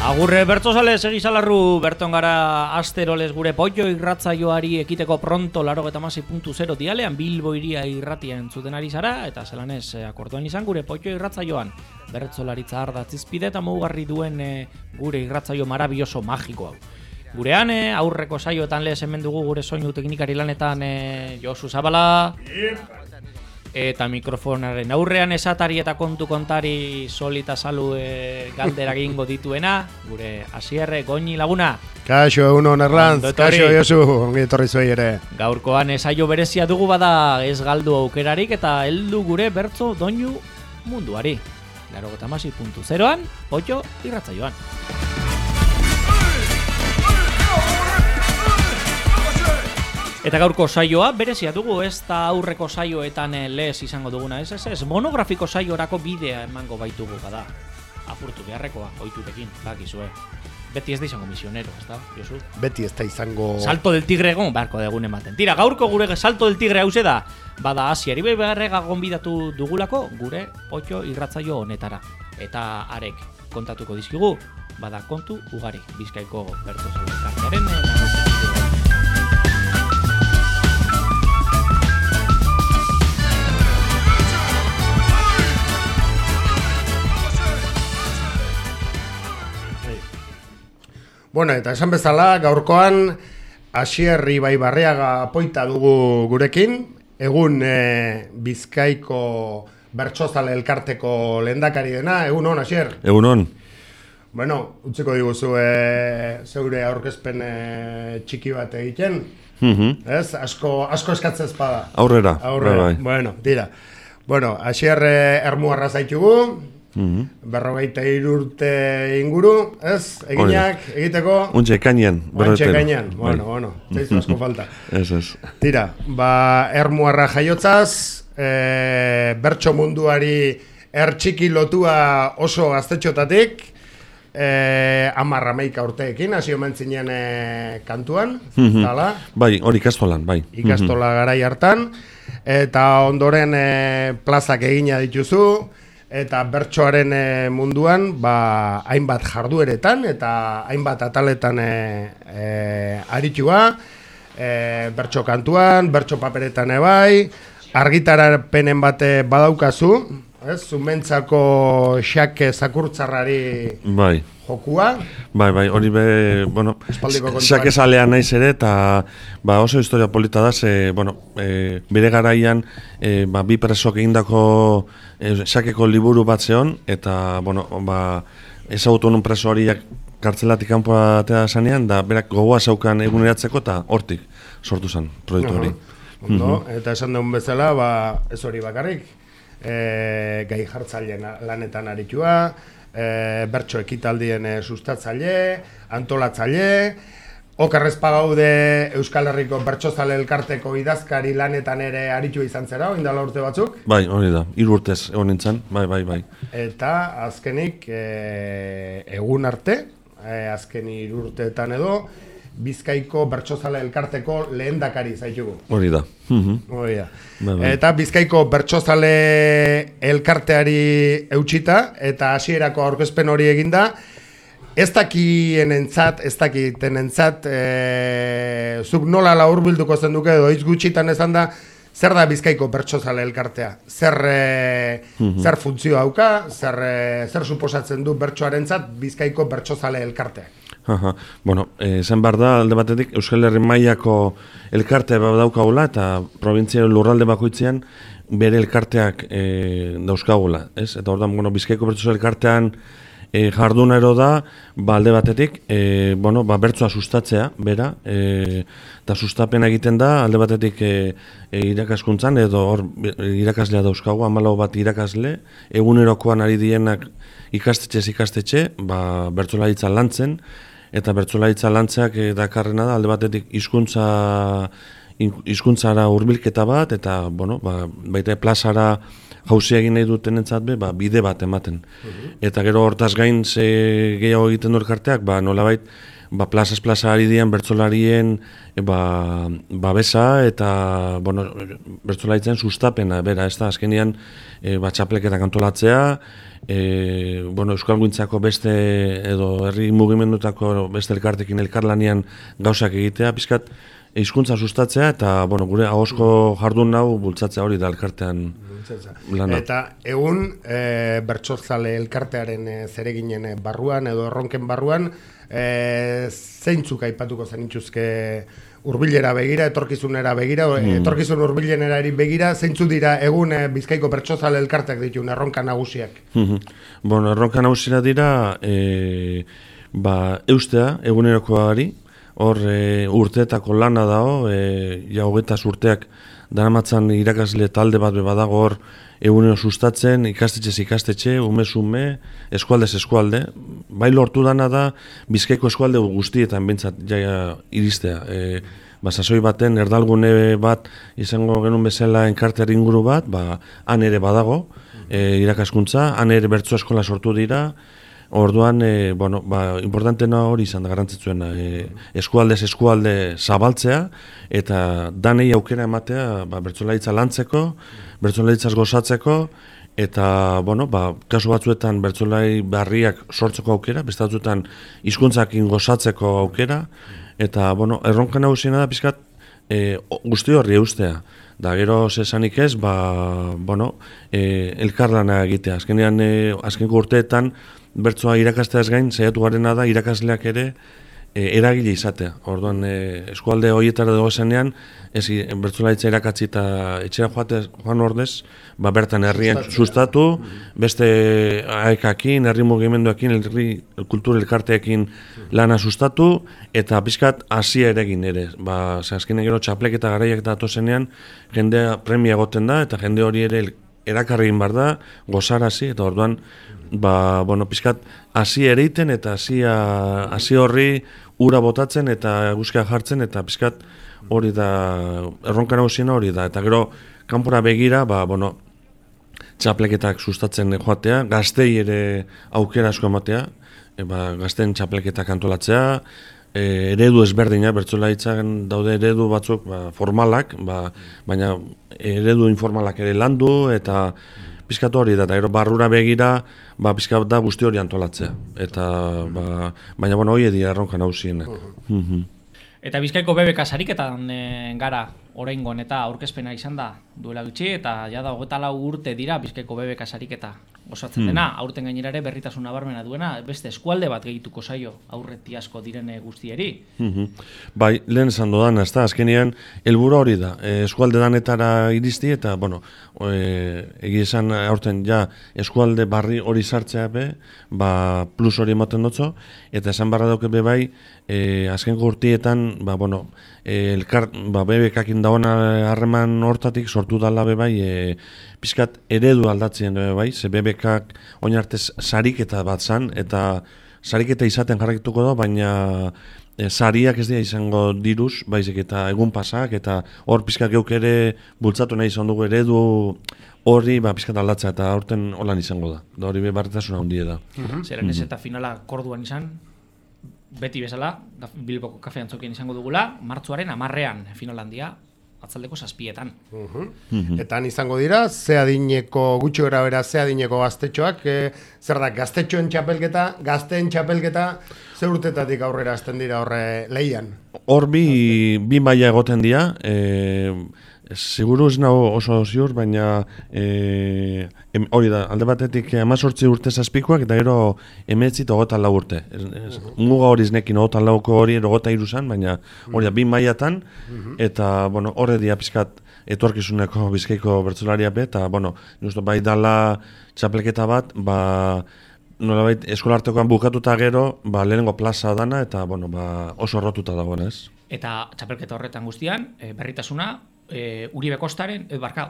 Agurre bertzozale segizalarru berton gara asteroles gure Poio irratzaioari ekiteko pronto 96.0 dialean Bilbo iria irratia entzuten ari zara eta zelanez akorduan izan gure Poio irratzaioan bertzolaritza ardatzizpide eta mugarri duen gure irratzaio marabilloso magiko hau. Gurean aurreko saioetan lez hemen dugu gure soinu teknikari lanetan Josu Zabala eta mikrofonaren aurrean esatari eta kontu kontari solita salu galdera egingo dituena, gure Asierre Goñi laguna. Kaixo, egunon Erlantz, kaixo Josu, ongi etorri zuei ere. Gaurkoan saio berezia dugu bada ez galdu aukerarik eta heldu gure bertzo doinu munduari. 96.0an, Poio irratzaioan. Eta gaurko saioa berezia dugu, ez da aurreko saioetan lez izango duguna, ez monografiko saiorako bidea emango baitugu bada. Apurtu beharrekoa, ohiturekin, bakizue. Beti ez da izango misionero, ez da, Josu? Beti ez da izango... Salto del tigre egon, beharko degun ematen. Tira, gaurko gure salto del tigre hause da, bada Asiari beharrega gonbidatu dugulako gure Poio irratzaio honetara. Eta arek kontatuko dizkigu, bada kontu ugari, Bizkaiko bertzozale elkartearen Bueno, eta esan bezala, gaurkoan Asierri Baibarriaga poita dugu gurekin, egun Bizkaiko bertsozale elkarteko lehendakari dena, egunon, Asier? Egunon. Bueno, utziko diguzu zeure aurkezpen txiki bat egiten, ez? Asko eskatzez bada. Aurrera. Bai. Bueno, tira. Bueno, Asier ermuarra zaitugu, 43 urte inguru, ez? Eginak, egiteko? Untxe ekainean. Bueno, zaizu asko falta. Ez. Tira, ermuarra jaiotzaz, bertso munduari txiki lotua oso gaztetxotatik, 10-11 urteekin, hasi omen zinen kantuan, zala? Bai, hori ikastolan, bai. Ikastola garai hartan, eta ondoren plazak egina dituzu, eta bertsoaren munduan hainbat jardueretan eta hainbat ataletan aritua, bertso kantuan, bertso paperetan bai, argitarapenen bat badaukazu, ez, zumentzako xake zakurtzarrari jokua. Bai, hori xake salea naiz ere, eta oso historia polita da, bere garaian bi presok egindako xakeko liburu bat zeon, eta ezagutu honun preso horiak kartzelatik kanpoa atea zanean, da berak gogoa zaukan eguneratzeko, eta hortik sortu zen proiektu hori. Eta esan dugun bezala, ez hori bakarrik, gai jartzaileen lanetan aritua, bertso ekitaldien sustatzaile, antolatzaile, okerrez pagaude Euskal Herriko bertsozale elkarteko idazkari lanetan ere aritua izan zera, indala urte batzuk? Bai, hori da, 3 urtez egon nintzen, bai. Eta azkenik, egun arte, azken 3 urteetan edo, Bizkaiko bertsozale elkarteko lehendakari zaitugu. Hori da. Eta Bizkaiko bertsozale elkarteari eutxita, eta hasierako aurkezpen hori eginda, ez dakitenentzat, zuk nola laurbilduko zenduke edo hitz gutxitan esan da, zer da Bizkaiko bertsozale elkartea? Zer funtzio dauka, zer suposatzen du bertsoarentzat Bizkaiko bertsozale elkarteak? Zen behar da, alde batetik, Euskal Herri mailako elkartea daukagula eta provintzia lurralde bakoitzean bere elkarteak dauzkagula, ez? Eta hor da, Bizkaiko bertsozale elkartean jardunero da, alde batetik, bertsoa sustatzea, bera, eta sustapena egiten da, alde batetik irakaskuntzan, edo hor irakaslea dauzkagu, 14 bat irakasle, egunerokoan ari dienak ikastetxe, bertsolaritza lantzen, eta bertsolaritza lantzeak dakarrena da, alde batetik hizkuntzara hurbilketa bat, eta baita plazara jauzia egin nahi dutenentzat be, bide bat ematen. Eta gero hortaz gain ze gehiago egiten du elkarteak, nolabait plazaz plaza ari dian bertsolarien babesa eta bertsolaritzen sustapena, bera, ez da, azkenean txapleketak antolatzea, Euskalgintzako beste edo herri mugimendutako beste elkartekin elkarlanean gauzak egitea, pizkat hizkuntza sustatzea eta gure ahozko jardun hau bultzatzea hori da elkartean lana. Eta egun bertsozale elkartearen zereginen barruan edo erronken barruan zeintzuk aipatuko zenituzke hurbilera begira, etorkizunera begira, etorkizun hurbilenera begira, zeintzuk dira egun Bizkaiko bertsozale elkarteak dituen erronka nagusiak? Erronka nagusiak dira eustea egunerokoari, hor urteetako lana dago, ja 20 urteak daramatzan irakasle talde bat badago hor egunero sustatzen, ikastetxez ikastetxe, umez ume, eskualdez eskualde. Bai lortu dana da Bizkaiko eskualde guztietan bintzat jaia iristea. Sasoi baten erdalgune bat izango genuen bezala enkartear inguru bat, han ere badago irakaskuntza, han ere bertso eskola sortu dira. Orduan, importantena hori izan da garrantzitsuena, eskualdez eskualde zabaltzea eta danei aukera ematea bertsolaritza lantzeko, bertsolaritzaz gozatzeko eta, kasu batzuetan bertsolari berriak sortzeko aukera, beste batzuetan hizkuntzakin gozatzeko aukera eta, erronka nagusiena da pizkat guzti horri eustea. Da gero zesanik ez, elkarlana egitea. Azkeneko urteetan bertsoa irakasteaz gain, saiatu garena da irakasleak ere eragile izatea. Orduan, eskualde horietara dago zenean, bertsolaritza irakatzi eta etxera joan ordez, bertan herrian sustatu, beste aekakin, herri mugimenduekin, herri kultur elkarteekin lana sustatu, eta pizkat hasia ere egin ere. Azkenean gero txapleketa garaiak datu zenean, jendea premia egoten da, eta jende hori ere erakarri egin behar da, gozarazi, eta orduan, pizkat hasi ereiten eta hasi horri ura botatzen eta eguzkia jartzen eta pizkat hori da, erronka nagusiena hori da. Eta gero, kanpora begira, txapleketak sustatzen joatea, gaztei ere aukera asko ematea, gazten txapleketak antolatzea, eredu ezberdina, bertsolaritzan daude eredu batzuk formalak, baina eredu informalak ere landu eta pizkat hori da, eta gero barrura begira, pizkat da guzti hori antolatzea. Baina hori dira erronka nagusienak. Eta Bizkaiko BBK sariketan gara oraingoan eta aurkezpena izan da duela gutxi, eta jada 24 urte dira Bizkaiko BBK sariketa osatzen dena, aurten gainera ere berritasun nabarmena duena, beste eskualde bat gehituko zaio aurreti asko direne guztieri. Bai, lehen esan dodan, azkenean, helburua hori da, eskualde danetara iristi eta, egia esan aurten ja eskualde barri hori sartzea be, plus hori ematen dutzo, eta esan barra dauke be bai, azkenko urtietan, BBK-akin dagoena harreman hortatik sortu dala be bai, pizkat eredu aldatzen be bai, ze BBK-ak oinartez sariketa bat zan, eta sariketa izaten jarraituko da, baina sariak ez dira izango diruz, baizik eta egun pasak, eta hor pizkat geuk ere bultzatu nahi izan dugu eredu horri pizkat aldatzea, eta aurten holan izango da. Da hori behartasuna handia da. Zeren ez eta finala Korduan izan, beti bezala, Bilboko kafe antzokien izango dugula, martxoaren 10ean finalandia, atzaldeko 7etan. Eta izango dira, ze adineko, gutxi gara bera, ze adineko gaztetxoak, zer da, gaztetxoen txapelketa, gazteen txapelketa, ze urtetatik aurrera azten dira horre lehian? Hor bi maila egoten dira, seguru ez nago oso ziur, baina hori da, alde batetik 18 urte zazpikoak, eta gero 19 eta 24 urte. Muga hori iznekin 24ko hori 23 zan, baina hori da, bi mailatan, eta horre dia pizkat etorkizuneko Bizkaiko bertsolaria be, eta bai dala txapelketa bat, nolabait eskolartekoan bukatuta gero, lehenengo plaza dana, eta oso errotuta dagoen, ez? Eta txapelketa horretan guztian, berritasuna, Uribe Kostaren,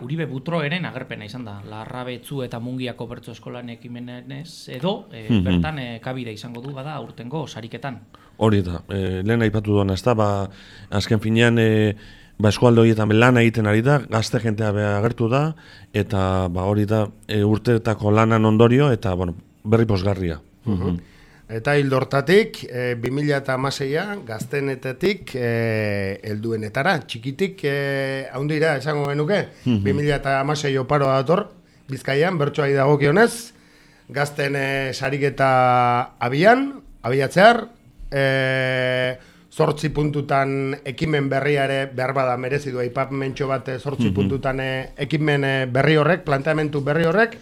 Uribe Butroeren agerpena izan da, Larrabetzu eta Mungiako bertso eskolan ekimenez edo bertan kabida izango du bada aurtengo sariketan. Hori da, lehen aipatu duena ez da, azken finean eskualde horietan lan egiten ari da, gazte jentea agertu da, eta hori da urteetako lanan ondorio, eta berri posgarria. Eta hildortatik, 2016an gaztenetetik helduenetara, txikitik haundira esango genuke, 2016 oparoa dator, Bizkaian, bertsoari dagokionez, gazten sariketa abiatzear, 8 puntutan ekimen berriare behar bada merezi du aipamentu bat 8 puntutan ekimen berri horrek, planteamentu berri horrek,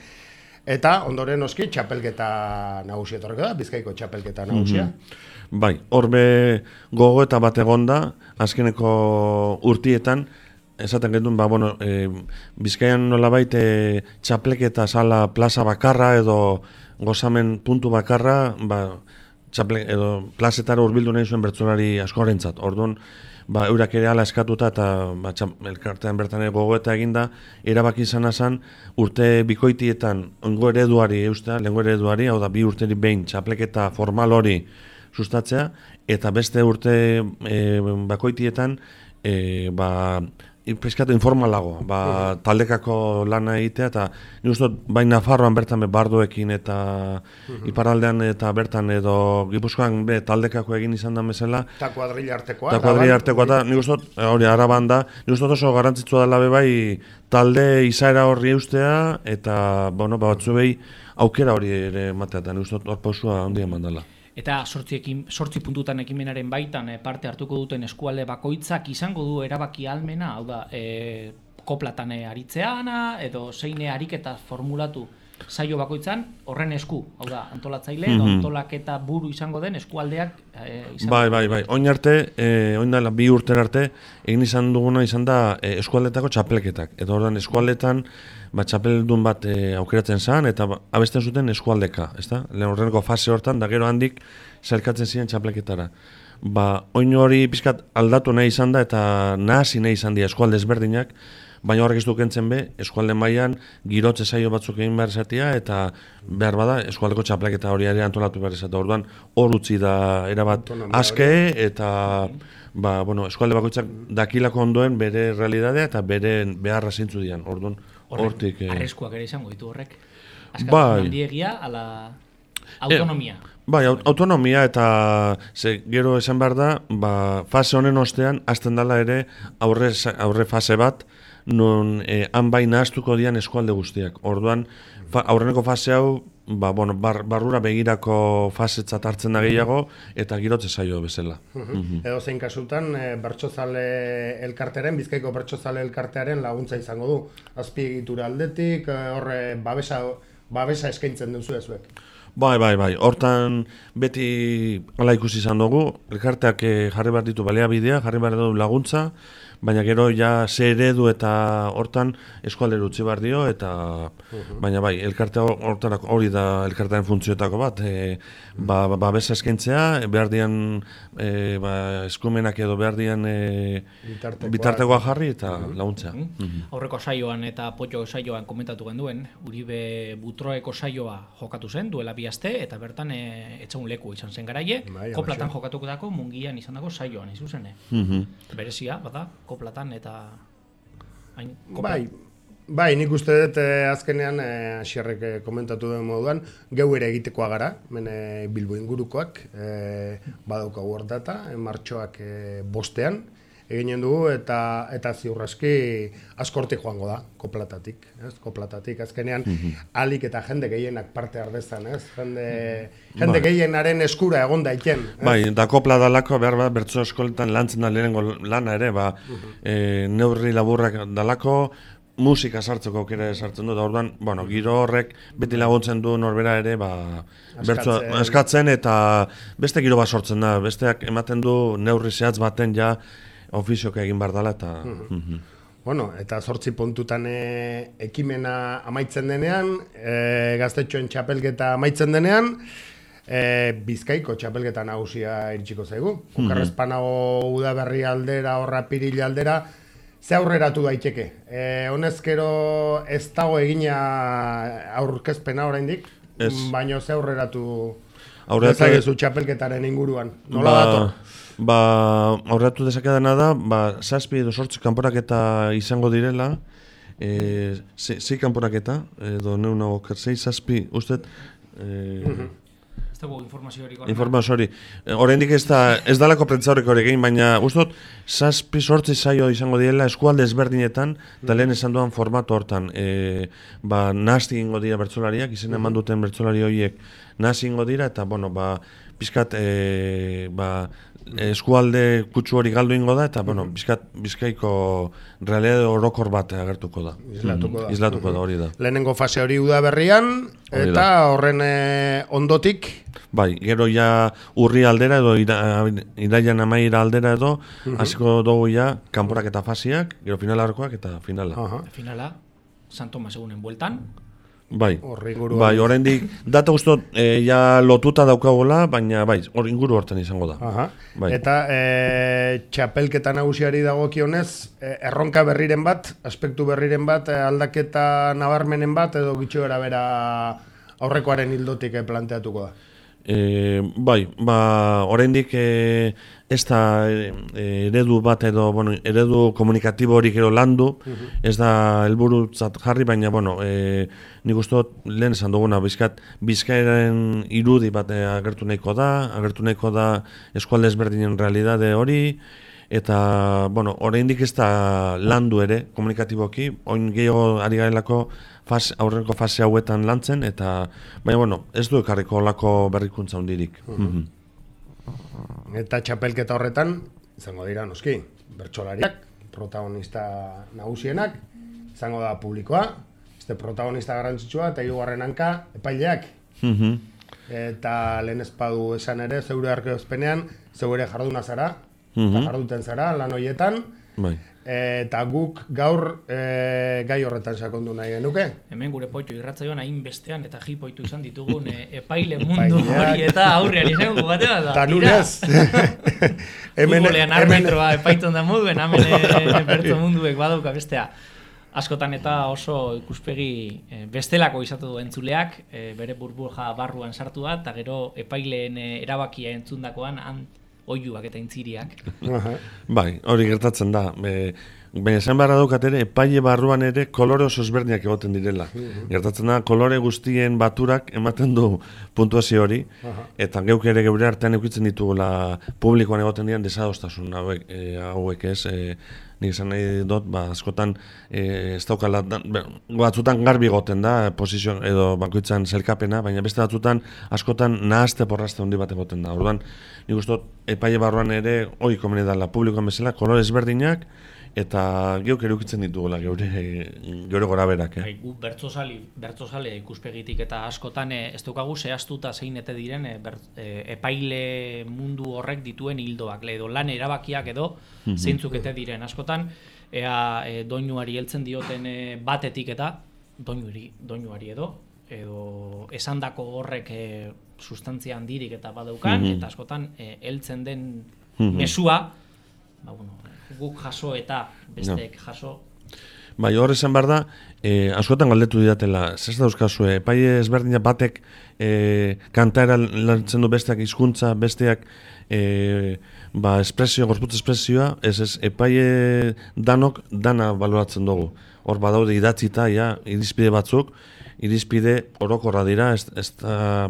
eta ondoren oski txapelketa nagusia etorreko da, Bizkaiko txapelketa nagusia. Bai, horbe gogo eta bat egonda, azkeneko urtietan, esaten genuen, Bizkaian nolabait txapleketa sala plaza bakarra edo gozamen puntu bakarra, edo plazetara hurbildu nahi zuen bertsolari askorentzat. Orduan, eurak ere ala eskatuta eta elkartean bertan gogoeta eginda, erabaki izan azan, urte bikoitietan lehengo ereduari, hau da, 2 urterik behin txapleketa formal hori sustatzea, eta beste urte bakoitietan, pizkatu informalago, taldekako lana egitea, eta ni uste bai Nafarroan bertan bardoekin eta iparraldean eta bertan edo Gipuzkoan taldekako egin izan da bezala. Eta kuadrilla artekoa. Eta kuadrilla artekoa, eta ni uste hori araban da, ni uste oso garrantzitsua dela bai talde izaera horri eustea, eta batzu behi aukera hori ere matea, eta ni uste hor pausua handia eman dela. Eta 8 puntutan ekimenaren baitan parte hartuko duten eskualde bakoitzak izango du erabaki ahalmena, hau da, koplatan aritzeana, edo zeine ariketa formulatu saio bakoitzan, horren esku, hau da, antolatzaile, edo antolaketa buru izango den eskualdeak izango. Bai, oin dela 2 urtera arte, egin izan duguna izan da eskualdetako txapelketak. Eta ordan eskualdetan, txapeldun bat aukeratzen zen, eta abesten zuten eskualdeka, ezta? Lehen horreneko fase hortan, da gero handik zelkatzen ziren txapelketara. Oin hori pizkat aldatu nahi izan da, eta nahasi nahi izan dira eskualde ezberdinak, baina horrek ez dukentzen eskualde mailan girotze saio batzuk egin behar izatea, eta behar bada eskualdeko txapelketa hori ere antolatu behar izatea. Orduan hor utzi da erabat aske, eta eskualde bakoitzak dakilako ondoen bere realidadea eta bere beharra zeintzu dian. Orduan hortik... Arriskuak ere izango ditu horrek. Askatasun handiegia, ala autonomia. Bai, autonomia eta gero esan behar da, fase honen ostean, hasten dela ere aurre fase bat, non han bai nahaztuko dian eskualde guztiak. Orduan, aurreneko fase hau, barrura begirako fasetzat hartzen da gehiago, eta girotze saio bezala. Edo zein kasutan, bertsozale elkartearen, Bizkaiko bertsozale elkartearen laguntza izango du. Azpiegitura aldetik, horre babesa eskaintzen duzu ezuek. Bai, hortan beti ala ikusi izan dugu, elkarteak jarri behar ditu baliabidea, jarri behar du laguntza, baina gero ja ze eredu eta hortan eskualdera utzi behar dio, eta baina bai, elkartea hori da elkartearen funtzioetako bat, babesa eskaintzea, behar dian eskumenak edo behar dian bitartekoa jarri eta laguntzea. Aurreko saioan eta potxo saioan komentatu genduen, Uribe Butroeko saioa jokatu zen, duela 2 aste, eta bertan etxegun leku izan zen garaie, koplatan jokatuko dako Mungian izan dago saioan, izuzene. Berezia, bada, koplatan eta... Bai, nik uste dut azkenean, Asierrek komentatu den moduan, geu ere egitekoa gara, Bilbo ingurukoak, badaukagu hor data, martxoak 5ean, eginen dugu, eta ziurraski askortik joango da, koplatatik, azkenean, alik eta jende gehienak parte ardezan, jende gehienaren eskura egon daiken. Bai, da kopla dalako, behar bat, bertso eskoletan lantzen da lehenengo lana ere, neurri laburrak dalako, musika sartzeko aukera sartzen du, da orduan, giro horrek beti laguntzen du norbera ere, bertso eskatzen, eta beste giro bat sortzen da, besteak ematen du neurri zehatz baten ja ofizioka egin behar dela, eta... Eta 8 puntutan ekimena amaitzen denean, gaztetxoen txapelketa amaitzen denean, Bizkaiko txapelketa nagusia iritsiko zaigu. Okerrezpanago udaberri aldera, horra piril aldera, ze aurreratu daiteke. Honezkero ez dago egina aurkezpena oraindik, baina ze aurreratu Ezagezu txapelketaren inguruan, nola dator? Aurreatu dezakadana da, 7 edo 8 kanporaketa izango direla, 6 kanporaketa, edo neuna oker, 6-7, usted... Ez dago informazio hori. Informazio hori. Oraindik ez dalako prentza horrek hori egin, baina ustot 7-8 saio izango direla eskualde ezberdinetan, eta lehen esan duan formatu hortan. Nahazti ingo dira bertsolariak, izen eman duten bertsolari horiek nahazti ingo dira, eta pizkat eskualde kutsu hori galdu ingo da, eta Bizkaiko realidade orokor bat agertuko da. Islatuko da, hori da. Lehenengo fase hori udaberrian, eta horren ondotik? Bai, gero ja urri aldera edo iraian amaira aldera edo, hasiko dugu ja kanporak eta fasiak, gero finalarkoak eta finala. Finala, San Tomas egunen bueltan. Bai, oraindik data guztot ja lotuta daukagola, baina hor inguru hortan izango da. Eta txapelketa nagusiari dagokionez, erronka berriren bat, aspektu berriren bat, aldaketa nabarmenen bat, edo gitxo bera aurrekoaren hildotik planteatuko da? Oraindik ez da eredu bat edo, eredu komunikatibo horik ero landu, ez da helburutzat jarri, baina, nik uste lehen esan duguna, Bizkairaren irudi bat agertu nahiko da eskualde ezberdinen realidade hori, eta, oraindik ez da landu ere komunikatiboki, oin gehiago ari garelako aurreko fase hauetan lantzen, eta, baina, ez du ekarriko olako berrikuntza hundirik. Eta txapelketa horretan, izango dira noski, bertsolariak, protagonista nagusienak, izango da publikoa, protagonista garrantzitsua, eta hirugarren hanka, epaileak. Eta lehen espadu esan ere, zeure arkeozpenean, zeure jarduna zara, eta jarduten zara, lan horietan, eta guk gaur gai horretan sakondu nahi genuke. Hemen gure Poitxo irratzaioan hain bestean eta jipoitu izan ditugun epaile mundu hori eta aurrean izango bate bat da. Ta nunez. Futbolean arbitroa epaitzen da moduen, hemen berto munduek badauka bestea. Askotan eta oso ikuspegi bestelako izatu du entzuleak, bere burbuja barruan sartu da, eta gero epaileen erabakia entzundakoan oiuak eta intziriak. Bai, hori gertatzen da. Baina esan beharra daukat ere, epaile barruan ere kolore oso ezberdinak egoten direla. Gertatzen da, kolore guztien baturak ematen du puntuazio hori, eta geuk ere geure artean eukitzen ditugula publikoan egoten diren desadostasun hauek ez, nik esan nahi dut, askotan ez daukala, batzutan garbi egoten da, posizio edo bakoitzan zelkapena, baina beste batzutan askotan nahazte porrazte handi bat egoten da. Orduan, nik uste dut, epaile barruan ere, hori komeni dela publikoan bezala, kolore ezberdinak, eta geuk erukitzen ditugula geure gora berak. Gu bertzozale ikuspegitik eta askotan ez daukagu zehaztuta zein ete diren epaile mundu horrek dituen hildoak, edo lan erabakiak edo zeintzuk ete diren. Askotan, doinuari heltzen dioten batetik eta doinuari edo esandako horrek sustantzia handirik eta badaukan, eta askotan heltzen den mesua, guk jaso eta besteek jaso. Bai, hor esan behar da, askotan galdetu didatela, zez dauzkazue, epaile ezberdinak batek kantaera lantzen du besteak hizkuntza, besteak gorputz espresioa, ez epaile dana baloratzen dugu. Hor badaude idatzita, irizpide batzuk, irizpide orokorra dira,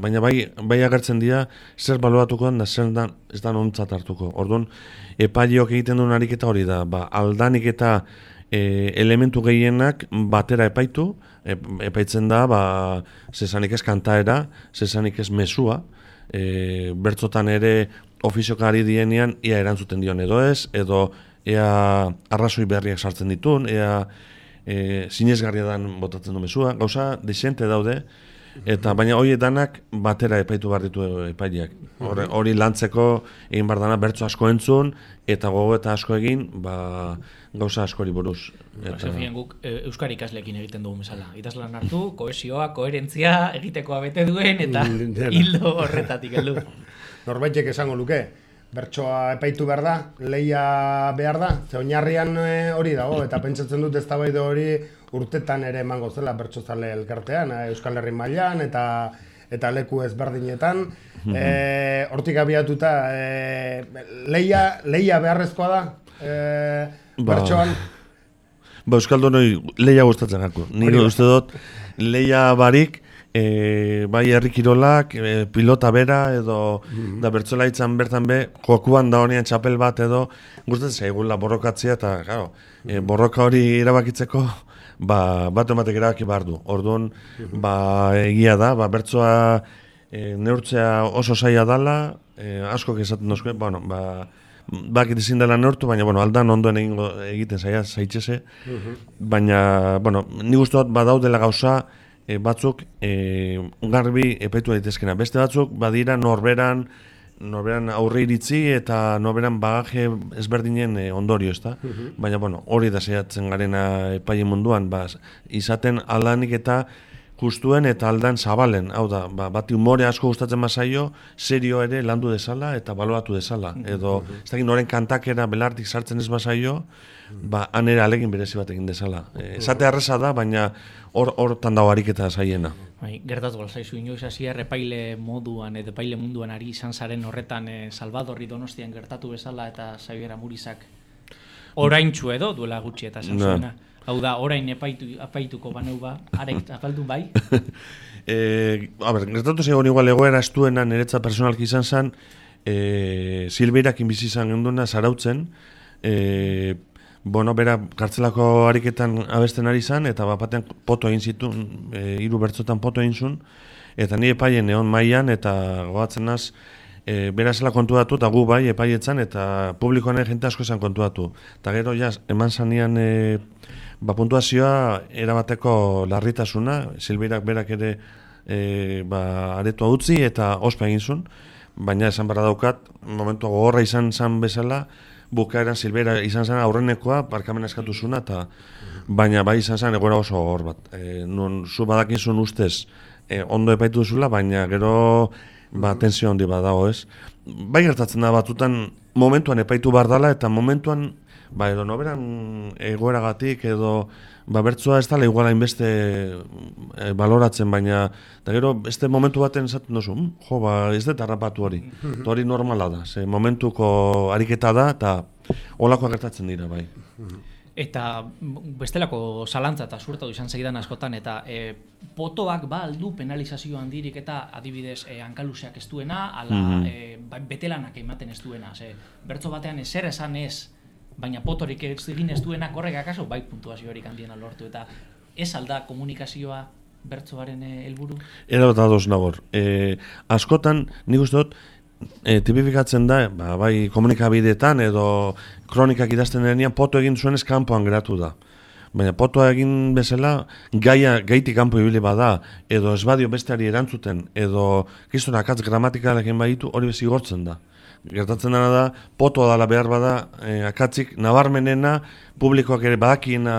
baina bai agertzen dira zer baloratuko da zer ez da nontzat hartuko. Orduan, epaileok egiten duen ariketa hori da, aldanik eta elementu gehienak batera epaitu, epaitzen da, zezanik ez kantaera, zezanik ez mesua, bertzotan ere ofiziokari dienean ia erantzuten dion edo ez, edo ea arrazoi berriak sartzen ditun, ea sinesgarria dan botatzen du mesua, gauza desente daude, eta baina hori danak batera epaitu behar ditu epaileak. Hori lantzeko egin behar dana bertso asko entzun, eta gogo eta asko egin, gauza askori buruz. Zefien guk euskara ikasleekin egiten dugu bezala. Idazlan hartu, kohesioa, koherentzia egitekoa bete duen, eta hildo horretatik heldu. Norbaitek esango luke, bertsoa epaitu behar da, lehia behar da, ze oinarrian hori dago, eta pentsatzen dut eztabaida hori urtetan ere emango zela bertsozale elkartean, Euskal Herri mailan eta eta leku ezberdinetan. Hortik abiatuta, leia beharrezkoa da, bertsoan? Euskaldunoi leia gustatzen gako. Nire uste dut, leia barik, bai herri kirolak, pilota bera, edo da bertsolaitzan bertan be, jokuan da honean txapel bat edo, gustatzen zaigula borrokatzea, eta claro, borroka hori erabakitzeko, bat ematek erabaki behar du. Orduan, egia da, bertsoa neurtzea oso zaila dala, askok esaten dozke, bakit ezin dela neurtu, baina aldan ondoen egiten zaitxese, baina, nik uste dut badaudela gauza batzuk garbi epaitu daitezkena. Beste batzuk badira norberan aurre iritzi eta norberan bagaje ezberdinen ondorio, ezta? Baina, hori da saiatzen garena epaile munduan, izaten aldanik eta justuen eta aldan zabalen, hau da, bati humore asko gustatzen bazaio, serio ere landu dezala eta baloratu dezala. Edo, ez dakit noren kantakera belartik sartzen ez bazaio, han ere alegin berezi bat egin dezala. Esate arreza da, baina hortan dago ariketa zaiena. Gertatu galzaizu, inoiz hasier epaile moduan edo epaile munduan ari izan zaren horretan Salvadorri Donostian gertatu bezala eta Xabier Amurizak oraintxu edo duela gutxi eta esan zuena. Hau da, orain epaituko baneu areit apaldu bai? Gertatu zegoen igual egoera estuena niretza personalki izan zen, Silveirakin bizi izan genduna zarautzen, bera kartzelako ariketan abesten ari zen, eta batean poto egin zituen, 3 bertzotan poto egin zuen, eta ni epaien egon mailan, eta gogatzen naz, bera zela kontuatu, eta gu bai epaietzan, eta publikoan jente asko esan kontuatu. Eta gero, eman zanean puntuazioa erabateko larritasuna, Silveirak berak ere aretua utzi eta ospa egin zuen, baina esan barra daukat, momentu gogorra izan zen bezala, bukaeran Silveira izan zen aurrenekoa, barkamena eskatu zuna, baina bai izan zen egoera oso gogor bat. Nun zu badakin zuen ustez ondo epaitu duzula, baina gero tensio handi bat dago, ez? Bai gertatzen da batutan momentuan epaitu behar dela, eta momentuan edo noberan egoeragatik edo bertsoa ez dala iguala inbeste baloratzen, baina eta gero beste momentu baten esaten duzu, ez dut harrapatu hori. Hori normala da, ze momentuko ariketa da eta holakoak gertatzen dira, bai. Eta bestelako zalantza eta zuertatu izan segidan askotan, eta potoak aldu penalizazio handirik eta adibidez hankaluzeak ez duena, ala betelanak ematen ez duena. Bertso batean ezer esan ez, baina potorik egin ez duenak horrek akaso bai puntuaziorik handiena lortu, eta ez alda komunikazioa bertsoaren helburu? Era bat ados nagor. Askotan, nik uste dut, tipifikatzen da, bai komunikabideetan edo kronikak idazten denean poto egin zuenez kanpoan geratu da. Baina potoa egin bezala, gaitik kanpo ibili bada, edo ez badio besteari erantzuten, edo kriston akatz gramatikalekin baditu, hori bezigortzen da. Gertatzen dena da, potoa dala behar bada, akatzik nabarmenena, publikoak ere badakiena...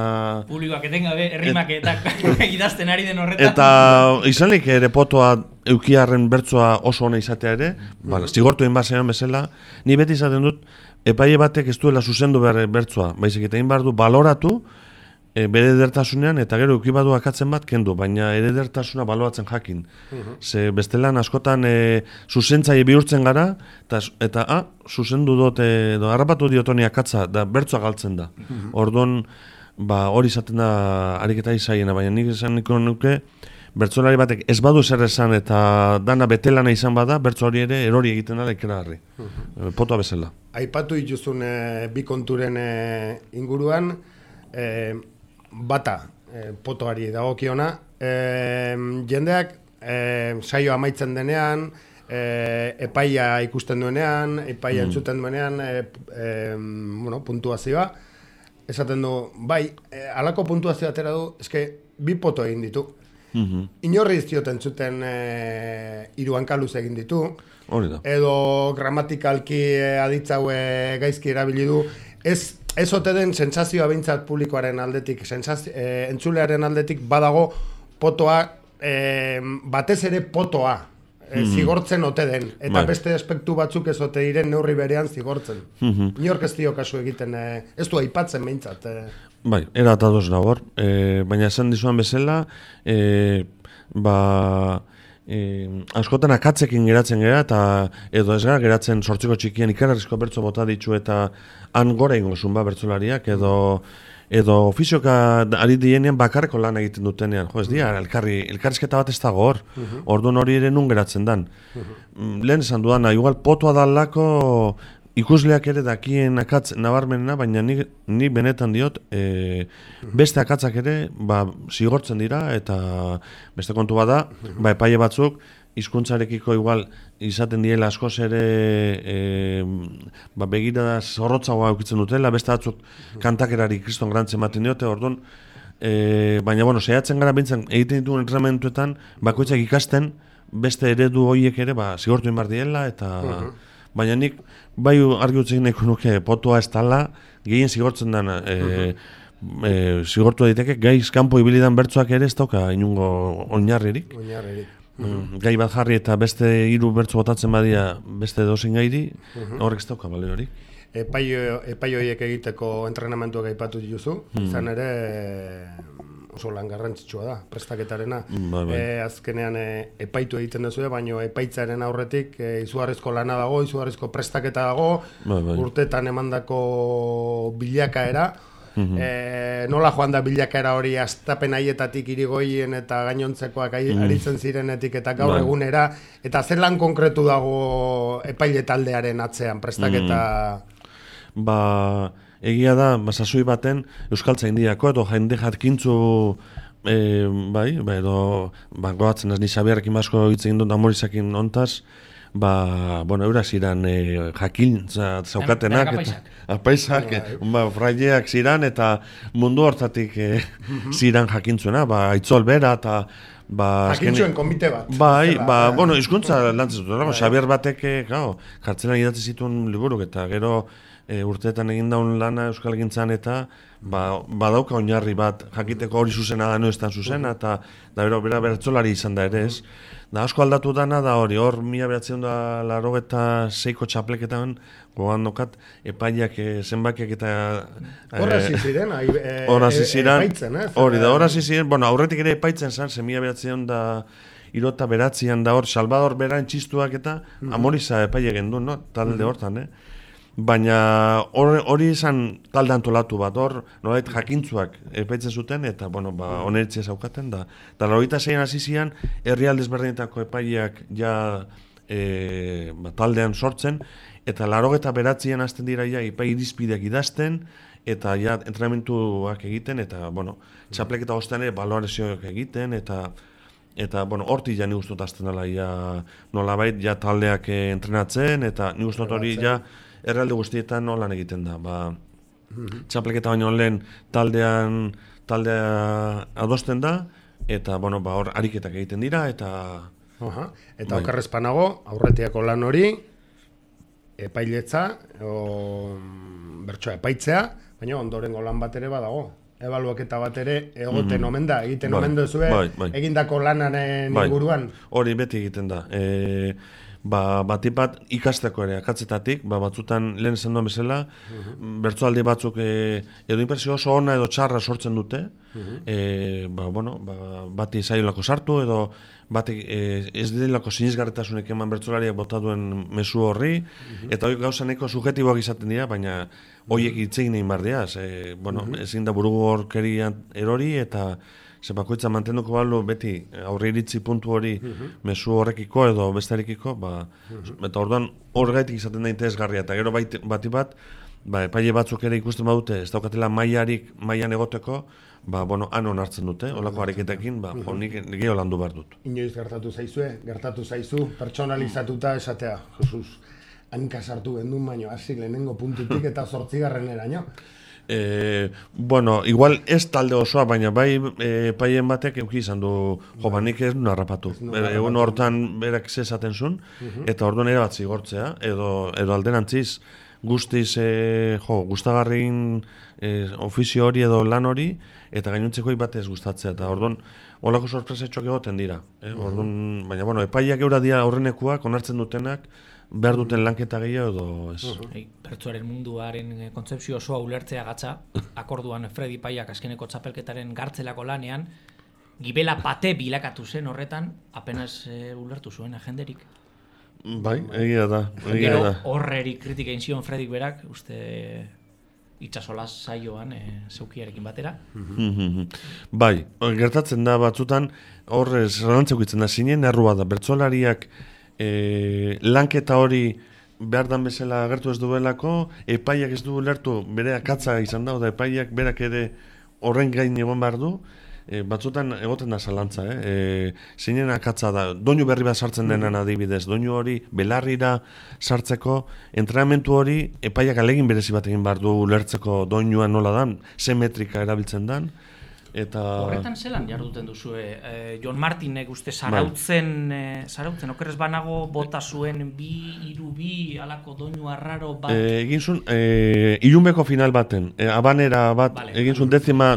Publikoak etengabe, errimak eta idazten ari den horretan. Eta izanik ere potoa eukiarren bertsoa oso ona izatea ere, zigortu egin bazean bezala, ni beti izaten dut, epaile batek ez duela zuzendu behar bertsoa, baizik eta egin behar du baloratu, bere edertasunean, eta gero eukibadu akatzen bat kendu, baina edertasuna baloratzen jakin. Ze bestelan askotan zuzentzaile bihurtzen gara, eta zuzendu dut, harrapatu diotoni akatza, da bertsoa galtzen da. Orduan, hori izaten da ariketa izaiena, baina nik esan niko nuke, bertsolari batek ez badu zer esan eta dana betelana izan bada, bertso hori ere erori egiten da ikeragarri. Potoa bezala. Aipatu dituzun bi konturen inguruan, bata potoari dagokiona, jendeak saio amaitzen denean, epaia ikusten duenean, epaia entzuten duenean, puntuazioa, esaten du, bai, halako puntuazioa atera du, eske bi poto egin ditu. Inorri dioten zuten 3 hankaluz egin ditu, edo gramatikalki aditzaue gaizki erabili du, ez ote den sentsazioa behintzat publikoaren aldetik, entzulearen aldetik badago potoa, batez ere potoa, zigortzen ote den, eta beste aspektu batzuk ez ote diren neurri berean zigortzen. Inork ez dio kasu egiten, ez du aipatzen behintzat. Bai, era atados nagor, baina esan dizuan bezala, askotan akatzekin geratzen gara, eta edo ez gara geratzen sortziko txikian ikararrizko bertso bota ditu eta han gora ingo zunba bertsolariak, edo ofizioka ari dienean bakarreko lan egiten dutenean. Jo, ez dira, elkarrizketa bat ez dago hor, orduan hori ere nun geratzen dan. Lehen esan dudana, igual potoa dalako ikusleak ere dakien akatz nabarmenena, baina ni benetan diot, beste akatzak ere zigortzen dira, eta beste kontu bada, epaile batzuk, hizkuntzarekiko igual izaten diela askoz ere begirada zorrotzagoa eukitzen dutela, beste batzuk kantakerari kriston grantzen ematen diote, orduan, baina, bueno, saiatzen gara bintzen egiten dituen entrenamentuetan, bakoitzak ikasten, beste eredu horiek ere, zigortu inbar diela, eta baina nik, bai argi utzik nahiko nuke potua ez tala, gehien zigortzen dana, zigortu daiteke, gaiz kanpo ibilidan bertsoak ere ez dauka inungo oinarririk. Gai bat jarri eta beste 3 bertso botatzen badia beste dozein gairi, horrek ez dauka balio hori. Epai horiek egiteko entrenamentuak aipatu dituzu, izan ere oso lan garrantzitsua da, prestaketarena. Azkenean epaitu egiten duzu, baina epaitzaren aurretik izugarrizko lana dago, izugarrizko prestaketa dago, urteetan emandako bilakaera, nola joan da bilakaera hori astapen haietatik irigoien eta gainontzekoak aritzen zirenetik eta gaur egunera, eta zer lan konkretu dago epaile taldearen atzean prestaketa? Egia da, sasoi baten euskaltzaindiako edo jende jatkintzu edo goatzen ez ni Xabierrekin asko hitz egin dut Amorizakin hontaz, eurak ziren jakintza zaukatenak, apaisak, fraileak ziren, eta mundu hortatik ziren jakintzuena, aitzol bera, eta jakintzuen komite bat. Hizkuntza lantzen zuten, Xabier batek, kartzelan idatzi zituen liburuk, eta gero urteetan egin daun lana euskal egintzan, eta badauka oinarri bat, jakiteko hori zuzena da, no ez tan zuzena, eta bera bertzolari izan da ere ez. Da asko aldatu dana da hori, hor 1986ko txapleketan gogan dokat epaileak zenbakiak eta horrazi ziren epaitzen, hori da, horrazi ziren, aurretik ere epaitzen zen, 1979an da hor, Salvador Berain txistuak eta Amoriza epaile gendu, talde hortan, baina hori izan talde antolatu bat, hor nolait jakintzuak epaitzen zuten, eta oneritzia zaukaten da. Eta 86an hasi zian, herrialde ezberdinetako epaileak ja taldean sortzen, eta 89an hasten dira ja epai irizpideak idazten, eta ja entrenamentuak egiten, eta txapleketa ostean balorazioak egiten, eta hortik ja nik ustot hasten dela nolabait ja taldeak entrenatzen, eta nik ustot hori ja errealde guztietan nolan egiten da. Txapleketa baino lehen taldea adosten da, eta hor ariketak egiten dira, eta okerrezpanago, aurretiako lan hori, epailetza, bertsoa epaitzea, baina ondorengo lan bat ere badago. Ebaluaketa bat ere egoten omen da, egiten omen duzue, egindako lanaren inguruan. Hori beti egiten da. Batipat ikasteko ere, akatzetatik, batzutan lehen esan duen bezala, bertsoaldi batzuk edo impresio oso ona edo txarra sortzen dute, bati zailako sartu edo bati ez dilako sinizgarretasunek eman bertsolariak bota duen mezu horri, eta hori gauza neko subjetiboak izaten dira, baina horiek itzegin egin bardeaz, ezin da burugu horkerian erori, eta bakoitza mantenduko balu beti aurre iritzi puntu hori mezu horrekiko edo bestearekiko, eta orduan horregaitik izaten da interesgarria, eta gero bati bat, epaile batzuk ere ikusten badute, ez daukatela mailan egoteko, han onartzen dute, holako hareketekin, nik gehiago landu behar dut. Inoiz gertatu zaizu, pertsonalizatuta esatea, Jesus, hanka sartu gendun baino, hasi lehenengo puntutik eta 8. Igual ez talde osoa, baina bai epaien batek euki izan du, nik ez duen harrapatu. Egun hortan berak zezaten zuen, eta orduan ere bat zigortzea, edo alderantziz guztiz gustagarrin ofizio hori edo lan hori, eta gainontzeko batez gustatzea, eta orduan holako sorpresetxoak egoten dira. Baina epaiak eura dira aurrenekuak, onartzen dutenak, behar duten lanketa gehiago edo ez. Bertsoaren munduaren kontzepzio osoa ulertzea gatza, akorduan Fredi Paiak azkeneko txapelketaren gartzelako lanean, gibela pate bilakatu zen horretan, apenas ulertu zuen agenderik. Bai, egia da. Gero horreri kritika egin zion Fredik berak, uste itxasolaz saioan zeukiarekin batera. Bai, gertatzen da batzutan, horre zalantzeko itzen da, zinen errua da, bertsolariak lanketa hori behar dan bezala agertu ez duelako, epaiak ez du lertu, bere akatza izan da, da epaiak berak ere horren gain egon behar du, batzutan egoten da zalantza, zinen akatza da, doinu berri bat sartzen denan adibidez, doinu hori belarrira sartzeko, entrenamentu hori epaiak alegin berezi bat egin behar du ulertzeko doinua nola dan, ze metrika erabiltzen dan, eta... Horretan zelan jarduten duzue, Jon Martinek uste zarautzen, okerrez banago bota zuen bi alako doinu arraro bat... Egin zuen, ilunbeko final baten, abanera bat, egin zuen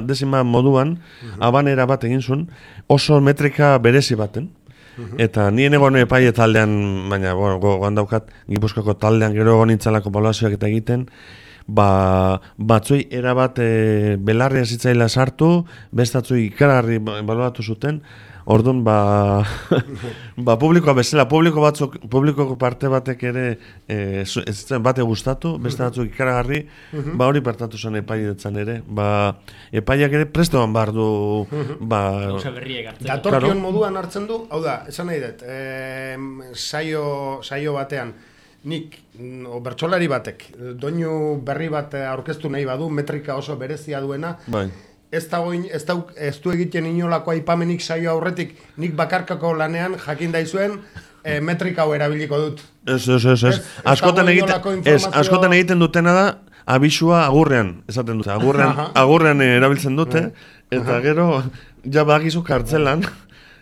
dezima moduan, abanera bat egin zuen, oso metrika berezi baten. Eta nien egon epaile taldean, baina gogoan daukat, Gipuzkoako taldean gero egon nintzalako ebaluazioak eta egiten, batzuei erabat belarria zitzaila sartu, bestatzui ikaragarri ebaluatu zuten, orduan publikoa bezala, publiko parte batek ere bate gustatu, beste batzuk ikaragarri, hori partatu zen epailetzen ere, epaileak ere prestoan behar du... Datorkion moduan hartzen du, hau da, esan nahi dut, saio batean, nik, bertsolari batek, doinu berri bat aurkeztu nahi badu, metrika oso berezia duena, ez du egiten inolako aipamenik saio aurretik, nik bakarkako lanean jakin daizuen, metrika hau erabiliko dut. Ez. Askotan egiten dutena da, abisua agurrean, esaten dute, agurrean erabiltzen dute, eta gero, ja bagizu kartzelan,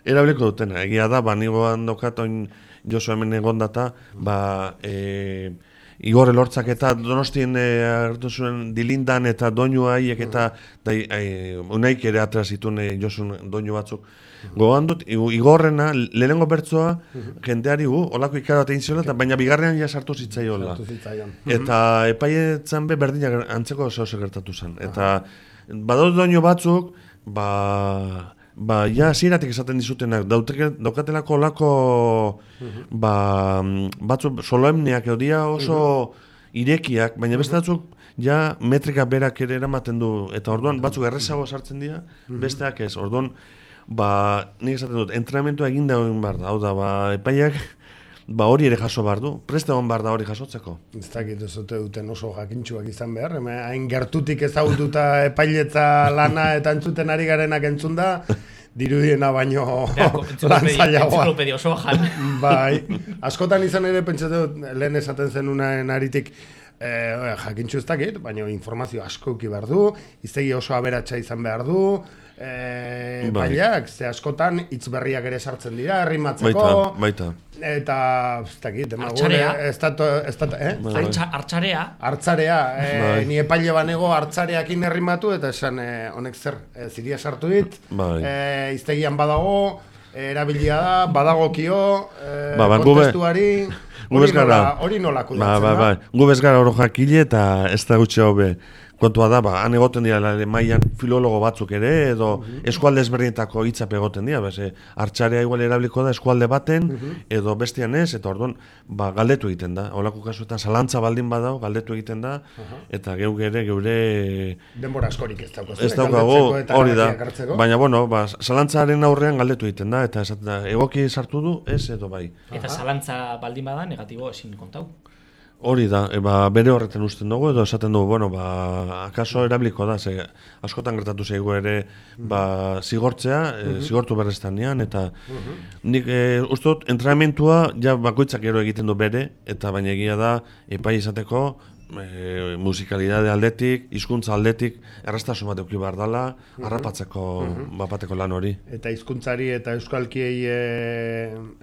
erabiliko dutena. Egia da, nigoan daukat oin Josu hemen egon data, Igor Elortzak eta Donostien hartu zuen dilindan eta doinu haiek eta unaik ere atra zituen Josun doinu batzuk. Gogoan dut, Igorrena, lehenengo bertsoa, jendeari olako ikara bat egin ziola, baina bigarrean ja sartu zitzaiola. Eta epaietzen berdinak antzeko zehose gertatu zen. Eta badot doinu batzuk, ja ziratik esaten dizutenak, daukatelako olako batzuk soloemneak edo dia oso irekiak, baina beste batzuk ja metrika berak ere eramaten du, eta orduan batzuk errezago sartzen dira, besteak ez, orduan nik esaten dut, entrenamentua egin da egin behar da, hau da, epaiak hori ere jaso behar du, preste egon behar da hori jasotzeko. Ez dakit ez duten oso jakintxuak izan behar, hain gertutik ezagututa epailetza lana eta entzuten ari garenak entzun da, dirudiena baino lantzailagoa. Entziklopedia osoa jan. Bai, askotan izan ere pentsatu lehen esaten zenunaren aritik, jakintxu ez dakit, baina informazio asko uki behar du, iztegi oso aberatsa izan behar du, baiak, ze askotan hitz berriak ere sartzen dira, errimatzeko. Baita. Eta, ez dakit, Artzarea, ni epaile banego artzareakin errimatu, eta esan, honek zer, ziria sartu dit, iztegian badago, erabilia da, badagokio, kontestuari, hori nola kudatzen da. Gu bez gara oro jakile eta ez da gutxe hobe. Kontua da, han egoten dira mailan filologo batzuk ere, edo eskualde ezberdinetako hitzap egoten dira, hartxarea igual erabiliko da eskualde baten, edo bestian ez, eta orduan, galdetu egiten da. Holako kasuetan, zalantza baldin badao, galdetu egiten da, eta geure... Denbora askorik ez daukazu. Ez daukago, hori da. Baina, zalantzaren aurrean galdetu egiten da, eta egoki sartu du, ez edo bai. Eta zalantza baldin bada, negatibo ezin kontau. Hori da, bere horretan usten dugu, edo esaten dugu, akaso erabiliko da, askotan gertatu zaigu ere zigortzea, zigortu berreztanean, eta nik uste dut, entrenamentua ja bakoitzak gero egiten du bere, eta baina egia da, epai izateko, musikalidade aldetik, hizkuntza aldetik, erraztasun bat eduki behar dela, harrapatzeko bapateko lan hori. Eta hizkuntzari eta euskalkiei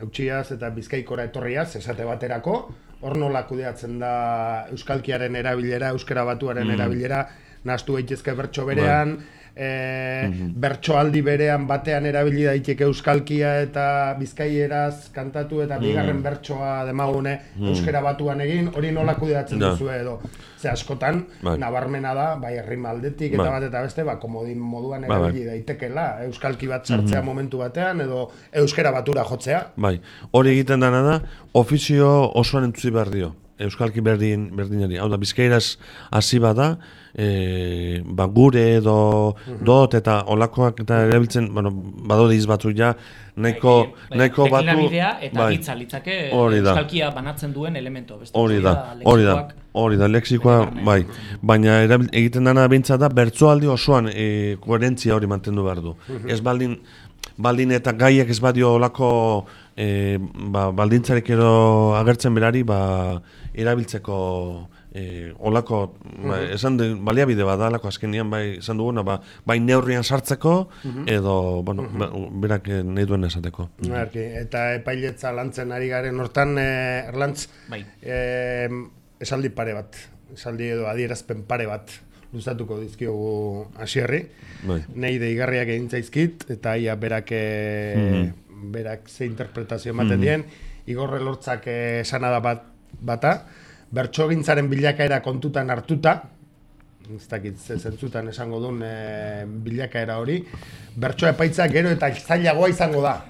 eutxiaz eta bizkaikora etorriaz, esate baterako, hor nola kudeatzen da euskalkiaren erabilera, euskara batuaren erabilera, nahastu daitezke bertso berean, bertsoaldi berean batean erabili daiteke euskalkia eta bizkaieraz kantatu eta bigarren bertsoa demagune euskera batuan egin, hori nola kudeatzen duzu edo. Ze askotan, nabarmena da, bai herrima aldetik eta bat eta beste, komodin moduan erabili daitekela, euskalki bat sartzea momentu batean edo euskera batura jotzea. Bai, hori egiten dana da, ofizio osoan entzuzi behar dio. Euskalki berdinari. Hau da, bizkairaz hasi bada, gure edo dot eta olakoak eta erabiltzen, badode izbatzu ja, nahiko batu... Deklinabidea eta hitza litzake euskalkia banatzen duen elemento. Hori da, lexikoa, bai. Baina egiten dana behintzat da, bertsoaldi osoan koherentzia hori mantendu behar du. Ez baldin eta gaiak ez badio olako baldintzarek edo agertzen berari erabiltzeko olako esan baliabide badalako azkenian esan duguna bai neurrian sartzeko edo berak nahi duen esateko. Eta epailetza lantzen ari garen hortan Erlantz esaldi pare bat, esaldi edo adierazpen pare bat luzatuko dizkiogu Asierri. Nei deigarriak egin zaizkit eta ia berak ze interpretazio ematen dien. Igor Elortzak esana da bata, bertsogintzaren bilakaera kontutan hartuta, ez dakit zentzutan esango duen bilakaera hori, bertso epaitza gero eta zailagoa izango da.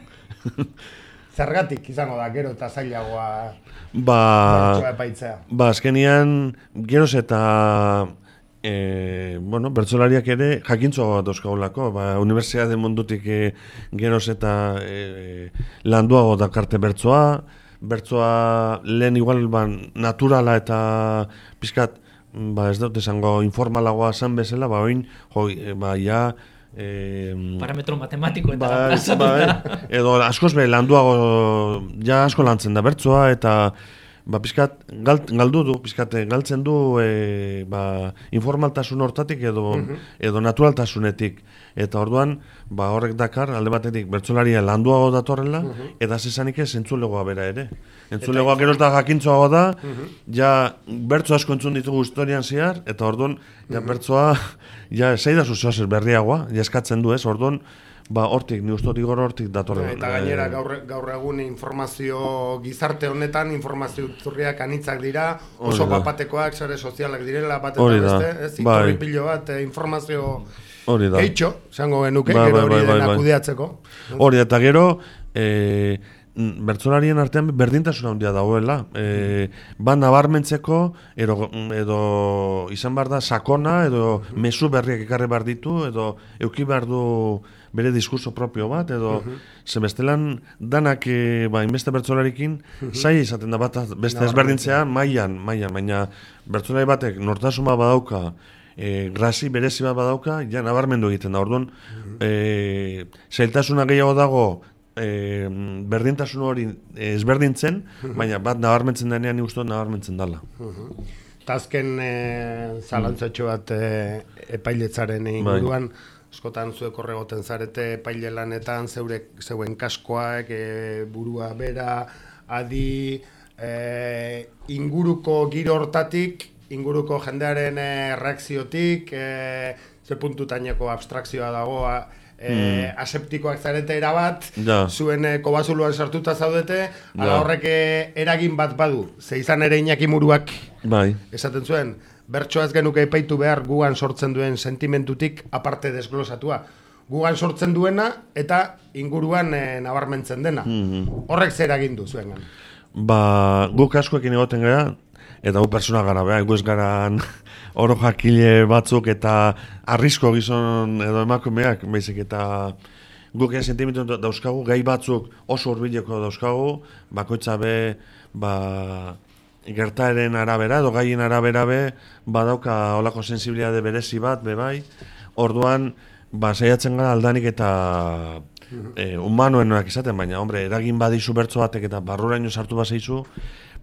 Zergatik izango da gero eta zailagoa bertso epaitzea. Azkenian geroz eta bertsolariak ere jakintzoa dauzkagulako, unibertsitate mundutik geroz eta landuago dakarte bertsoa lehen igual naturala eta pizkat, ez dut esango informalagoa zan bezala, oin, parametro matematiko eta edo askoz landuago, asko lantzen da bertsoa eta pizkat galtzen du informaltasun hortatik edo naturaltasunetik. Eta orduan, horrek dakar, alde batetik bertsolaria landuago datorrela, eta zesanik ez entzulegoa bera ere. Entzulegoa geroz da jakintzoago da, bertso asko entzun ditugu historian zehar, eta orduan, bertsoa, zeidazu zoazer berriagoa, eskatzen du ez, orduan, hortik, ni uste Igor hortik datorren. Eta gainera gaur egun informazio gizarte honetan, informazio zurriak anitzak dira, oso bapatekoak, sare sozialak direla, bat eta beste, iturri pilo bat, informazio geitxo, zango genuke, gero hori dena kudeatzeko. Hori, eta gero, bertsolarien artean berdintasuna handia dagoela. Nabarmentzeko, edo izan behar da sakona, edo mezu berriak ekarri behar ditu, edo euki behar du bere diskurso propio bat, edo bestelan danak inbeste bertsolarikin zaila izaten da bat beste ezberdintzea mailan, baina bertsolari batek nortasuna badauka, grasi berezi bat badauka, nabarmendu egiten da. Orduan, zailtasuna gehiago dago berdintasun hori ezberdintzen, baina bat nabarmentzen denean uste nabarmentzen dela. Eta azken zalantzatxo bat epailetzaren inguruan, askotan zuek horregoten zarete epaile lanetan, zeuen kaskoak, burua bera, adi, inguruko giro hortatik, inguruko jendearen reakziotik, ze puntutaineko abstrakzioa dago, aseptikoak zarete erabat, zuen kobazuluan sartuta zaudete, ala horrek eragin bat badu, ze izan ere Iñaki Muruak esaten zuen, bertsoaz genuke epaitu behar gugan sortzen duen sentimentutik aparte desglosatua. Gugan sortzen duena eta inguruan nabarmentzen dena. Horrek zer egin du zuengan? Guk askoekin egoten gara, eta gu persona gara, gu ez gara oro jakile batzuk eta arrisko gizon edo emakumeak, baizik eta guk sentimentu dauzkagu, gai batzuk oso hurbileko dauzkagu, bakoitza be, gertaeren arabera edo gaien arabera badauka olako sensibilitate berezi bat bai. Orduan saiatzen gara aldanik eta humanoenak izaten, baina eragin badizu bertso batek eta barruraino sartu bazaizu,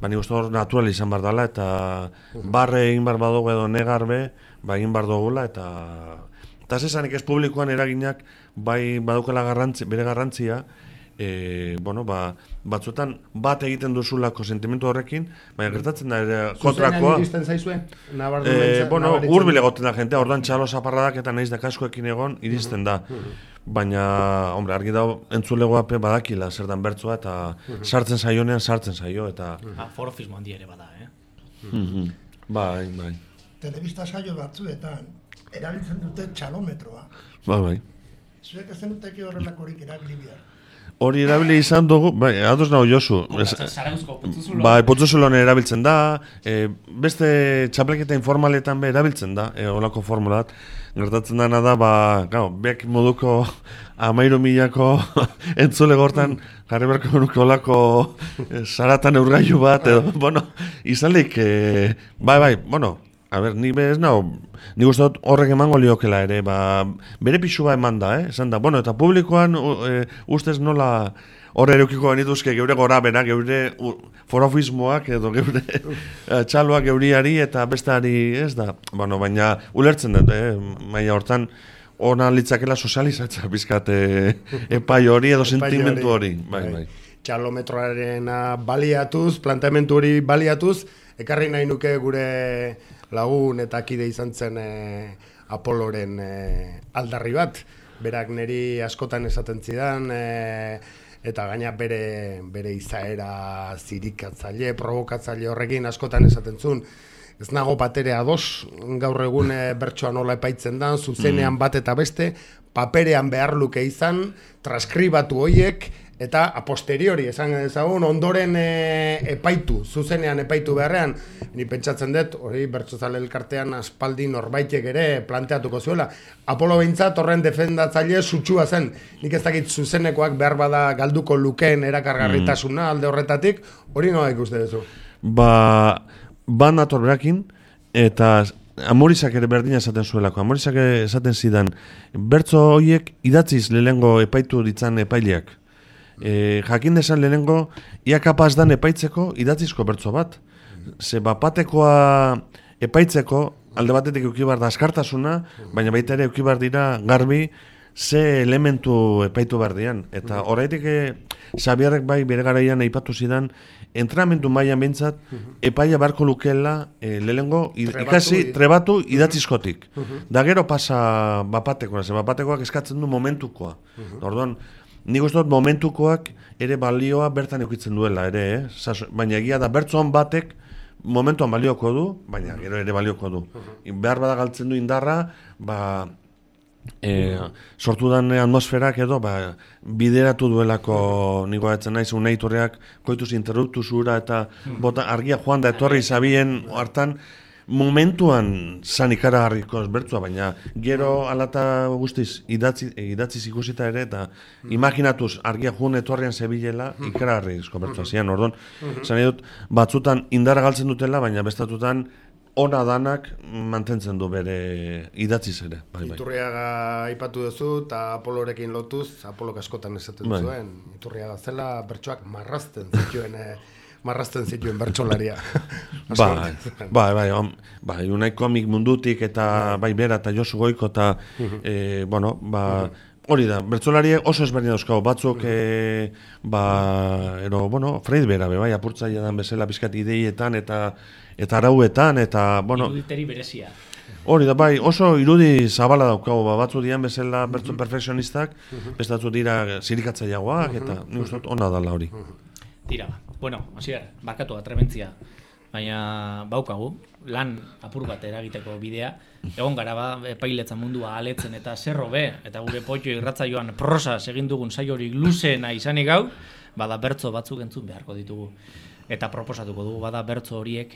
nik uste hor natural izan behar dela eta barre egin behar badugu edo negar egin behar dugula eta zesanik ez publikoan eraginak bai badaukela bere garrantzia bueno, batzuetan bat egiten duzulako sentimendu horrekin, baina gertatzen da ere kontrakoa. Zuzenean iristen zaizue? Bueno, hurbil egoten da jente, orduan txalo zaparradak eta naiz da kaskoekin egon iristen da. Baina, hombre, argi dago entzulegoape badakila zer dan bertsoa eta sartzen saionean sartzen saio eta... Forofismo handi ere bada, Bai. Telebista saio batzuetan erabiltzen dute txalometroa. Bai. Zuek ez zenuteke horrelakorik erabili behar. Hori erabili izan dugu, bai, ados nago Josu. Zarauzko putzuzulon. Bai, putzuzulon erabiltzen da, beste txapleketa informaletan be erabiltzen da, olako formula bat. Gertatzen dana da, bek moduko 13.000ko entzule gortan jarri berko nuke olako saratan eurgailu bat, edo, bueno, izalik, bai, bueno, a ber, ni bez nao, ni uste dut horrek emango liokela ere, bere pixua eman da, esan da, bueno, eta publikoan ustez nola horre eukiko genituzke geure gora bera, geure forofismoak edo geure txaloak geuriari eta besteari ez da, bueno, baina ulertzen dut, maila hortan, ona litzakela sozializatza bizkat epai hori edo sentimentu hori, bai. Txalometroaren baliatuz, planteamentu hori baliatuz, ekarri nahi nuke gure lagun eta kide izan zen Apoloren aldarri bat. Berak niri askotan esaten zidan, eta gaina bere izaera zirikatzaile, provokatzaile horrekin askotan esaten zuen. Ez nago batere ados, gaur egun bertsoa nola epaitzen da, zuzenean bat eta beste, paperean behar luke izan, transkribatu hoiek, eta a posteriori, esan ezagun, ondoren epaitu, zuzenean epaitu beharrean, ni pentsatzen dut, hori bertsozale elkartean aspaldi norbaitek ere planteatuko zuela. Apolo behintzat horren defendatzaile sutsua zen, nik ez dakit zuzenekoak behar bada galduko lukeen erakargarritasuna alde horretatik, hori nola ikuste duzu? Ban ator berakin, eta Amorizak ere berdina esaten zuelako. Amorizak esaten zidan, bertso horiek idatziz lehengo epaitu ditzan epaileak. Jakin desan lehenengo, ia kapaz dan epaitzeko idatzizko bertso bat. Ze bapatekoa epaitzeko, alde batetik eukibar da askartasuna, baina baita ere eukibar dira garbi ze elementu epaitu behar dian. Eta horretik Xabierrek bai bere garaian aipatu zidan, entrenamendu mailan behintzat, epaia barko lukela lehengo ikasi trebatu idatzizkotik. Da gero pasa bapatekoa, ze bapatekoak eskatzen du momentukoa. Orduan, nik uste dut momentukoak ere balioa bertan eukitzen duela ere, baina egia da bertsoan batek momentuan balioko du, baina gero ere balioko du. Behar bada galtzen du indarra, sortu dan atmosferak edo bideratu duelako niko atzen naiz uneitorreak koituz interruptu zura eta bota argia joan da etorri zabien hartan momentuan zan ikaragarriko bertzua, baina gero alata guztiz idatziz ikusita ere eta imaginatuz argia joan etorrian zebilela ikaragarrizko bertzua zian, orduan zan edut batzutan indarra galtzen dutela, baina bestatutan ona danak mantentzen du bere idatziz ere. Iturriaga aipatu duzu eta Apolorekin lotuz, Apolok askotan esaten zuen. Iturriaga zela bertsoak marrazten zituen bertsolaria. Bai, unai komik mundutik eta bai bera eta Josu Goiko eta, hori da, bertsolariek oso ezberdin dauzkago, batzuk, Freid bera, bai, apurtzaia dan bezala bizkat ideietan eta arauetan, eta, iruditeri berezia. Hori da, bai, oso irudi zabala daukago, batzu dian bezala bertso perfekzionistak, bestatzu dira zirikatzaileagoak, eta nik uste dut ona dala hori. Tira, hasier, barkatu atrebentzia, baina baukagu, lan apur bat eragiteko bidea, egon gara epailetza mundua aletzen eta zerro be, eta gure Poitxo irratsaioan prosaz egin dugun saiorik luzena izanik gau, bada bertso batzuk entzun beharko ditugu. Eta proposatuko dugu, bada bertso horiek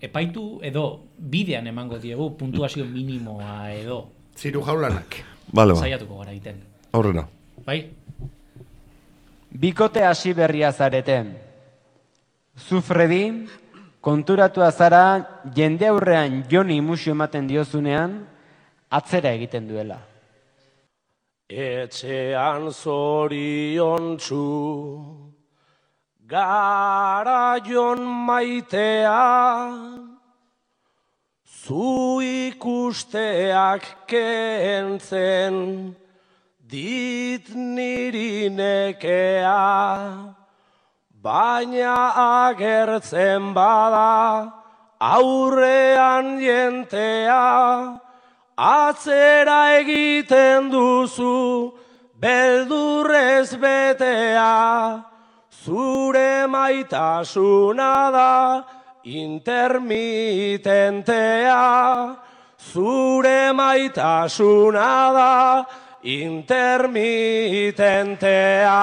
epaitu edo bidean emango diegu puntuazio minimoa edo. Ziru jaulanak. Saiatuko gara egiten. Aurrera. Bai? Bikote hasi berria zareten. Zu Fredi, konturatua zara jende aurrean Joni musio ematen diozunean, atzera egiten duela. Etxean zoriontsu garaion maitea, zu ikusteak kentzen dit niri nekea, baina agertzen bada aurrean jentea, atzera egiten duzu beldurrez betea, zure maitasuna da intermitentea, zure maitasuna da intermitentea.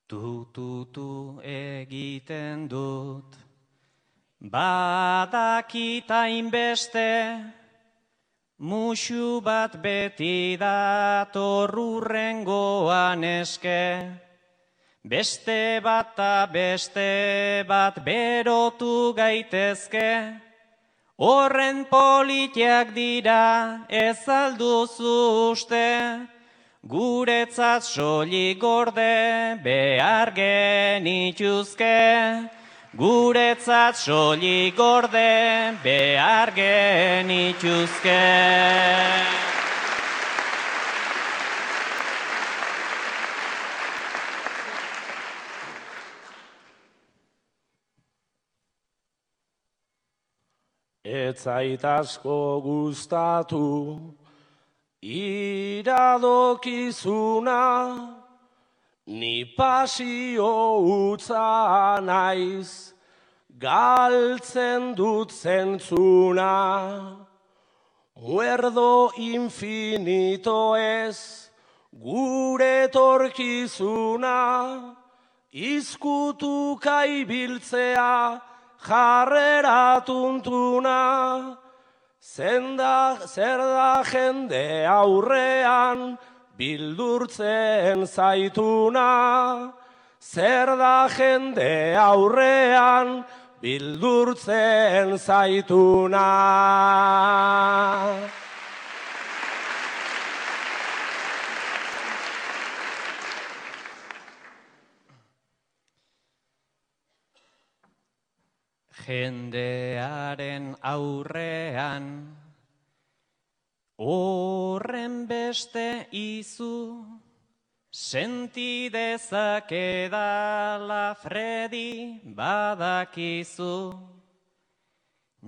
Tu egiten dut, badakita inbeste, musu bat beti dator hurrengoan eske, beste bat berotu gaitezke, horren politiak dira ez alduzu uste, guretzat soilik gorde behar genituzke, guretzat soilik gorde behar genituzke. Ez zait asko gustatu iradokizuna, ni pasio utza naiz, galtzen dut zentzuna. Muerdo infinito ez gure torkizuna, izkutuka ibiltzea jarrera tuntuna. Zer da jende aurrean bildurtzen zaituna, zer da jende aurrean bildurtzen zaituna. Jendearen aurrean, horren beste izu, senti dezakedala Fredi badakizu.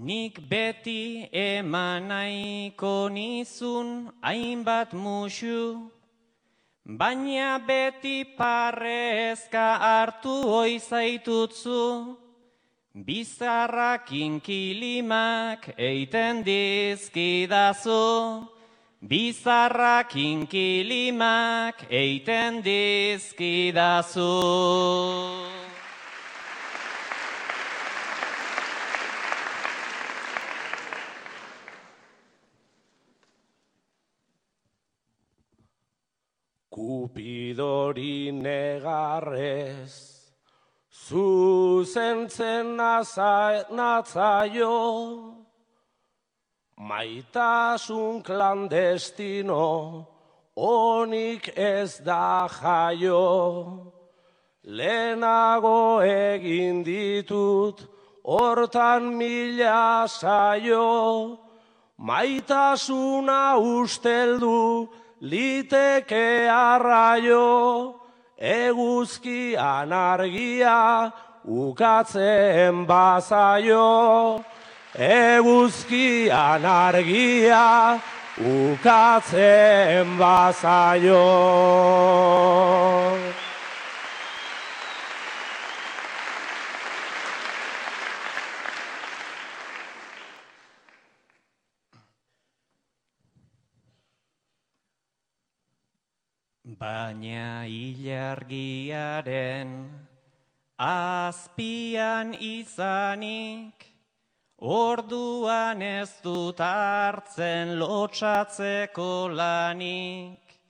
Nik beti eman nahiko nizun hainbat musu, baina beti parrezka hartu oizaitutzu. Bizarrak inkilimak eiten dizkidazu, bizarrak inkilimak eiten dizkidazu. Kupidori negarrez zuzentzen natzaio, maitasun klandestino onik ez da jaio. Lehenago egin ditut hortan 1000 saio, maitasuna usteldu liteke arraio. Eguzkian argia ukatzen bazaio, eguzkian argia ukatzen bazaio. Baina ilargiaren azpian izanik, orduan ez dut hartzen lotsatzeko lanik.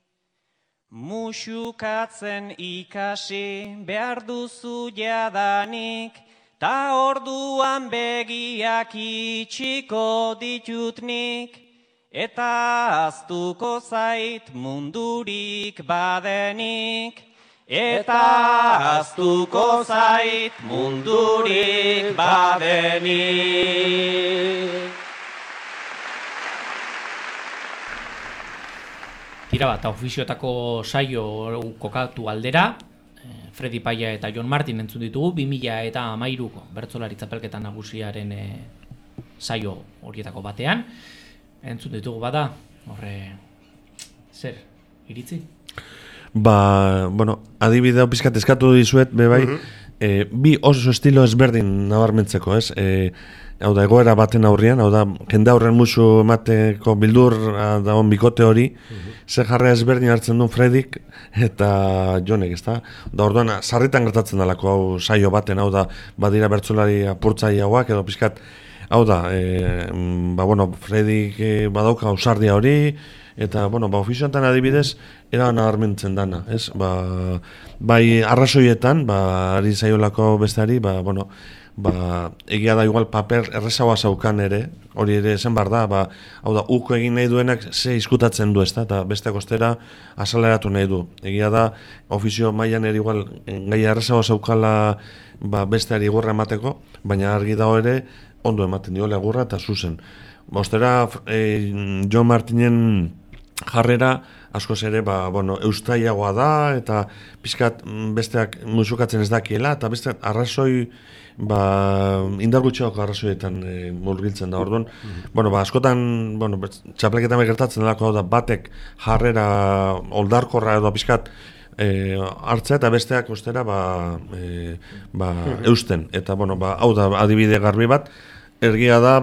Musukatzen ikasi behar duzu jadanik, ta orduan begiak itxiko ditutnik. Eta aztuko zait mundurik badenik, eta aztuko zait mundurik badenik. Tira bat, ofizioetako saio kokatu aldera, Fredi Paia eta Jon Martin entzun ditugu, 2013ko bertsolari txapelketa nagusiaren saio horietako batean. Entzun ditugu bada, horre, zer, iritzi? Bueno, adibidea pizkat eskatu dizuet, bebai, bi oso estilo ezberdin nabarmentzeko, ez? Hau da, egoera baten aurrian, hau da, jende aurren musu emateko bildur dagoen bikote hori, ze jarrea ezberdin hartzen duen Fredik eta Jonek, ezta? Da, orduan, sarritan gertatzen dalako hau saio baten, hau da, badira bertsolari apurtzaileagoak edo pizkat, hau da, Fredik badauka ausardia hori, eta, ofizioetan adibidez, era nabarmentzen dana, ez? Bai, arrazoietan, ari zaiolako besteari, egia da igual paper errezagoa zaukan ere, hori ere esan bar da, hau da, uko egin nahi duenak ze izkutatzen du, ezta, eta beste kostera azaleratu nahi du. Egia da, ofizio mailan ere igual gai errezagoa zaukala besteari egurra emateko, baina argi dago ere, ondo ematen diola egurra eta zuzen. Ostera, Jon Martinen jarrera askoz ere, eustaiagoa da, eta pizkat besteak musukatzen ez dakiela, eta besteak arrazoi, indar gutxiago arrazoietan murgiltzen da, orduan. Askotan, txapelketan gertatzen delako da, batek jarrera oldarkorra edo pizkat hartzea, eta besteak ostera, eusten. Eta, hau da, adibide garbi bat, ergia da,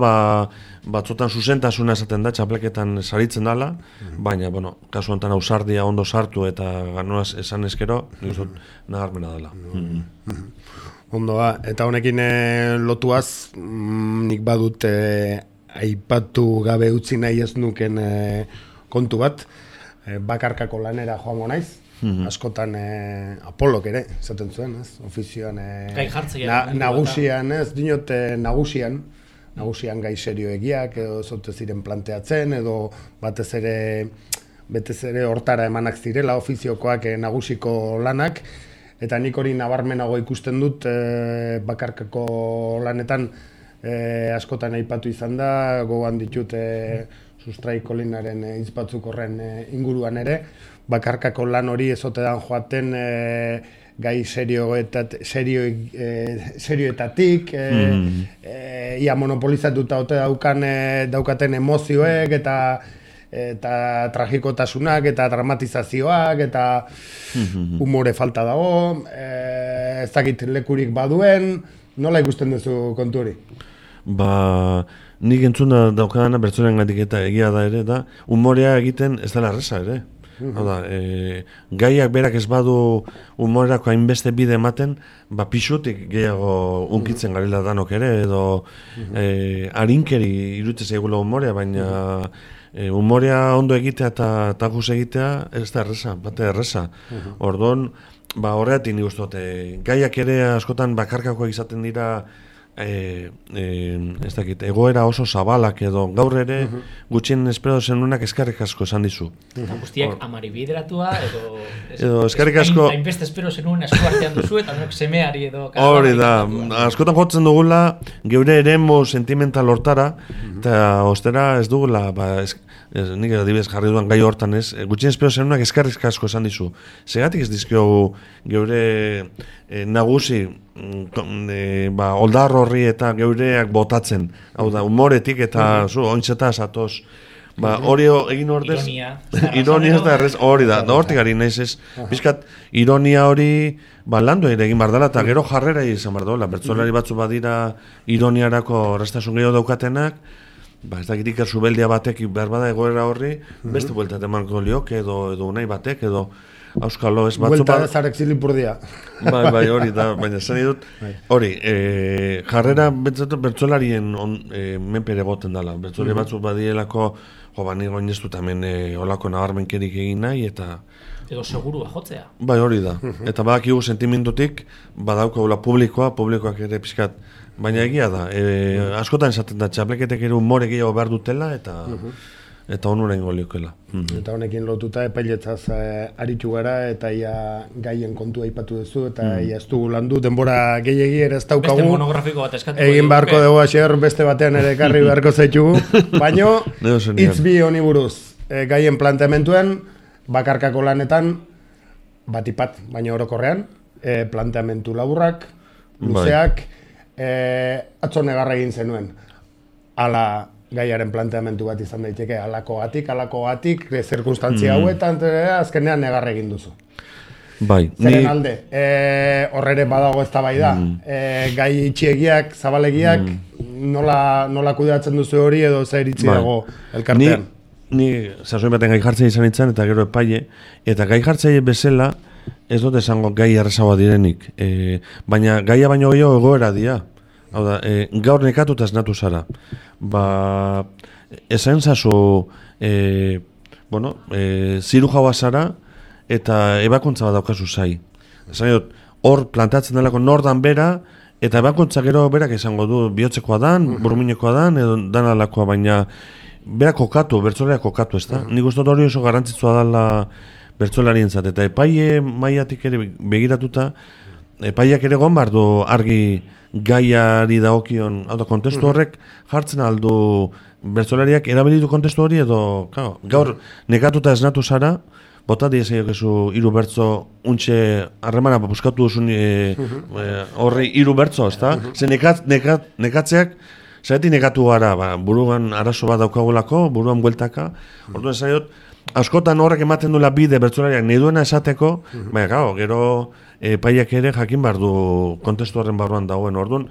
batzotan zuzentasuna esaten da, txapleketan saritzen dela, baina, kasu honetan ausardia ondo sartu eta ganoaz esan eskero, nabarmena dela. Ondoa, eta honekin lotuaz, nik badut aipatu gabe utzi nahi ez nuken kontu bat, bakarkako lanera joango naiz, askotan Apolok ere, zaten zuen, ez? Ofizioan nagusian, ez? Dinot nagusian gai serioegiak, edo zote ziren planteatzen, edo batez ere hortara emanak zirela ofiziokoak nagusiko lanak, eta nik hori nabarmenago ikusten dut bakarkako lanetan askotan aipatu izan da, gogoan ditut Sustrai Kolinaren hitz batzuk horren inguruan ere, bakarkako lan hori ezotedan joaten gai serioetatik, ia monopolizatuta daukaten emozioek eta tragikotasunak eta dramatizazioak eta humore falta dago, ez dakit lekurik baduen, nola ikusten duzu kontu hori? Nik entzuna daukadana bertsoaren gatik eta egia da ere, da humorea egiten ez dela erreza ere. Hau da, gaiak berak ez badu humorerako hainbeste bide ematen, pixutik gehiago unkitzen garela danok ere, edo harinkeri iruditzen zaigula humorea, baina humorea ondo egitea eta tajuz egitea ez da erreza, bate erreza. Orduan, horreatik nik uste dute, gaiak ere askotan bakarkakoak izaten dira, ez dakit, egoera oso zabalak edo gaur ere gutxien espero zenunak eskerrik asko esan dizu. Eta guztiak amari bideratua edo eskerrik asko hainbeste espero zenuen esku artean duzu eta nok semeari edo hori da, askotan jotzen dugula geure eremu sentimental hortara eta ostera ez dugula nik adibidez jarri duan gai hortan ez, gutxien espero zenunak eskerrik asko esan dizu. Segatik ez dizkiogu geure nagusi oldar horri eta geureak botatzen, hau da, humoretik eta ointzeta zatoz, hori egin ordez ironia ez da errez, hori da hortik ari naiz ez, bizkat ironia hori landu egin bar dela eta gero jarrera izan bar dola, bertsolari batzu badira ironiarako erraztasun gehiago daukatenak, ez dakit Iker Zubeldia batek behar bada egoera horri, beste bueltat emango lioke edo nahi batek, edo auskalo ez batzu... Buelta zarek zilipurdia. Bai, hori da, baina zen dut, hori, jarrera bertsolarien menpere goten dela, bertsolari batzu badielako, nire oin ez dut hemen olako nabarmenkerik egin nahi, eta... Edo segurua jotzea. Bai, hori da, eta badakigu sentimendutik, badaukaula publikoak ere pizkat, baina egia da, askotan esaten da, txapleketek ere humore gehiago behar dutela, eta eta onura ingo liokela. Eta honekin lotuta epailetzaz aritu gara, eta ia gaien kontua aipatu duzu, eta ia ez dugu landu, denbora gehiegi ere ez daukagu. Beste monografiko bat eskatuko. Egin beharko dugu asier, beste batean ere ekarri beharko zaitugu. Baino, hitz bi honi buruz, gaien planteamentuen, bakarkako lanetan, batipat, baina orokorrean, planteamentu laburrak, luzeak, atzo negarra egin zenuen. Ala gaiaren planteamentu bat izan daiteke, alakogatik, zirkunstantzia hauetan, azkenean negarra egin duzu. Bai, Zeren alde, horrere badago eztabaida, gai itxiegiak, zabalegiak, nola kudeatzen duzu hori edo zer iritzi dago elkartean? Ni sasoin baten gai jartzea izan itzan, eta gero epaile, eta gai jartzea bezala, ez dut esango gai errezagoa direnik, baina gaia baino gehiago egoera dira. Hau da, gaur nekatuta esnatu zara. Esan zazu, ziru jaua zara, eta ebakuntza bat daukazu zai. Esan dut, hor plantatzen delako nordan bera, eta ebakuntza gero berak esango du, bihotzekoa dan, burmuinekoa dan, edo dan alakoa, baina berak kokatu, bertzolea kokatu, ez da? Nik uste hori oso garrantzitsua dela bertzolarien zat, eta epaile maiatik ere begiratuta, epaileak ere gon behar du argi gaiari dagokion, hau da, kontestu horrek jartzen aldu bertzolariak erabilitu kontestu hori edo, gaur nekatuta esnatu zara, bota diezaiok ezu hiru bertzo untxe harremana buskatu duzun horri hiru bertzo, ez da? Ze nekatzeak, zaretik nekatu gara, buruan arazo bat daukagulako, buruan bueltaka, orduan zaiot, askotan horrek ematen duela bide bertzolariak nahi duena esateko, baina gero epaiak ere jakin behar du kontestu horren barruan dagoen. Orduan,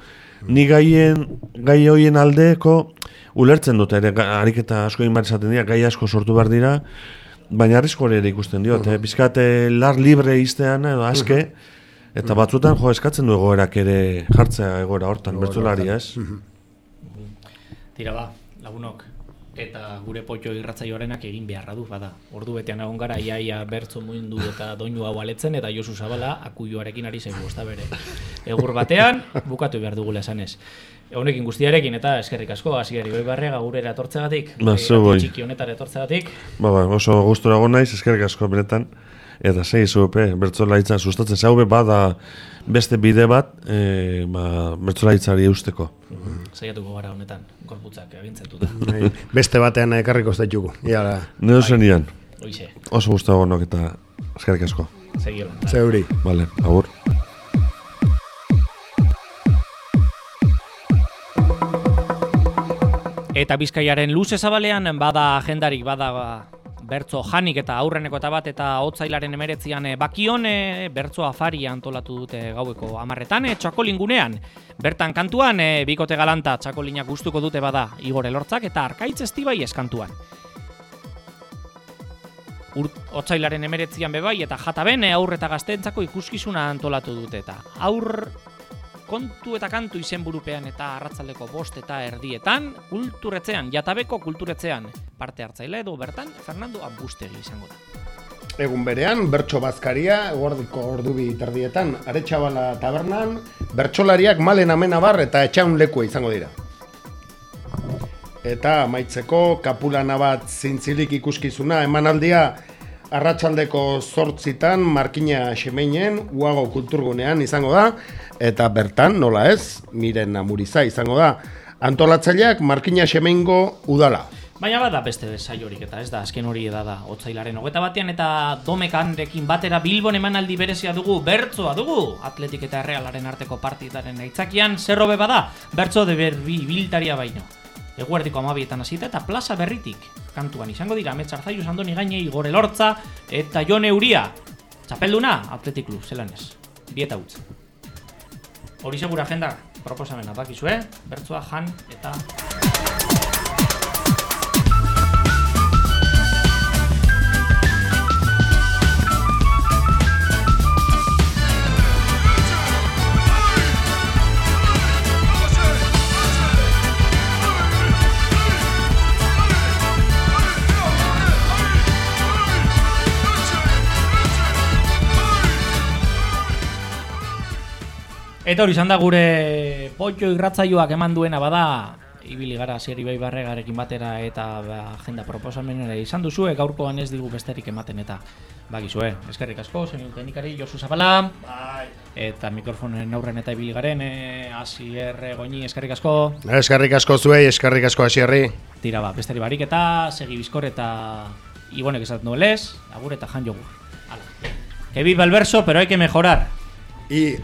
ni gai hoien aldeko ulertzen dute ere, ariketa asko egin behar esaten dira, gai asko sortu behar dira, baina arrisko ere ikusten diot, bizkat lar libre iztean edo aske, eta batzutan eskatzen du egoerak ere jartzea egoera hortan, bertzolaria ez? Tira ba, lagunok. Eta gure potxo irratzaioarenak egin beharra du, bada. Ordu betean egon gara, iaia bertzo muindu eta doinu hau aletzen, eta Josu Zabala akuioarekin ari zaigu, ez da bere. Egur batean, bukatu behar dugula esanez. Honekin guztiarekin eta eskerrik asko, Asier Ibarrega gurera etortzegatik, txiki honetara etortzegatik. Oso gustura egon naiz, eskerrik asko benetan. Eta segizu, bertzolaritzan sustatzen zaube, bada beste bide bat bertzolaritzari eusteko. Zaiatuko gara honetan, gorputzak agintzetuta. Beste batean ekarriko zaitugu. Nero zenian. Oixe. Oso guztua gonok eta eskerrik asko. Segiolan. Zeuri. Vale, agur. Eta Bizkaiaren luze zabalean bada agendarik, bada bertzo janik eta aurreneko eta bat eta otsailaren 19an Bakion bertzo afaria antolatu dute gaueko 10etan Txakolingunean. Bertan kantuan bikote galanta txakolinak gustuko dute bada Igor Elortzak eta Arkaitz Estibai eskantuan. Otsailaren 19an bebai eta Jataben aur eta gazteentzako ikuskizuna antolatu dute eta aur kontu eta kantu izenburupean eta arratzaldeko 5:30 kulturetzean, Jatabeko kulturetzean parte hartzaile edo bertan Fernando Ambustegi izango da. Egun berean, bertso bazkaria, eguerdiko ordu 2:30 Aretxabala tabernan, bertsolariak Malen Amenabar eta Etxaun lekua izango dira. Eta amaitzeko kapulana bat zintzilik ikuskizuna emanaldia arratsaldeko 8:00 Markina Xemeinen Uago kulturgunean izango da, eta bertan, nola ez, Miren Amuriza izango da. Antolatzaileak Markina Xemeingo udala. Baina bada beste saiorik eta ez da, azken hori da, otsailaren 21 eta Domekanrekin batera Bilbon emanaldi berezia dugu, bertzoa dugu, Atletik eta Errealaren arteko partidaren aitzakian, zerrobe bada, bertzo de berbi biltaria baino. Eguerdiko 12etan hasita eta plaza berritik kantuan izango dira Amets Arzaiuz, Andoni Gaine, Igor Elortza eta Jon Euria. Txapelduna, Atletik Klub, zelanez, 2 utz. Hori segura agenda proposamena bakizue, bertzoa jan eta... Eta hori izan da gure potxo irratzaioak eman duena bada ibili gara Asier Ibaibarregarekin batera eta agenda proposamenera izan duzue, gaurkoan ez digu besterik ematen eta bagizue. Eskerrik asko, zein teknikari Josu Zabala. Bai. Eta mikrofonen aurren eta ibili garen Asier Goñi, eskerrik asko. Eskerrik asko zuei, eskerrik asko Asierri. Tira besteri barik eta segi bizkor eta Ibonek esaten duelez, agur eta jan jogur. Hala. Que viva el verso, pero hay que mejorar. Y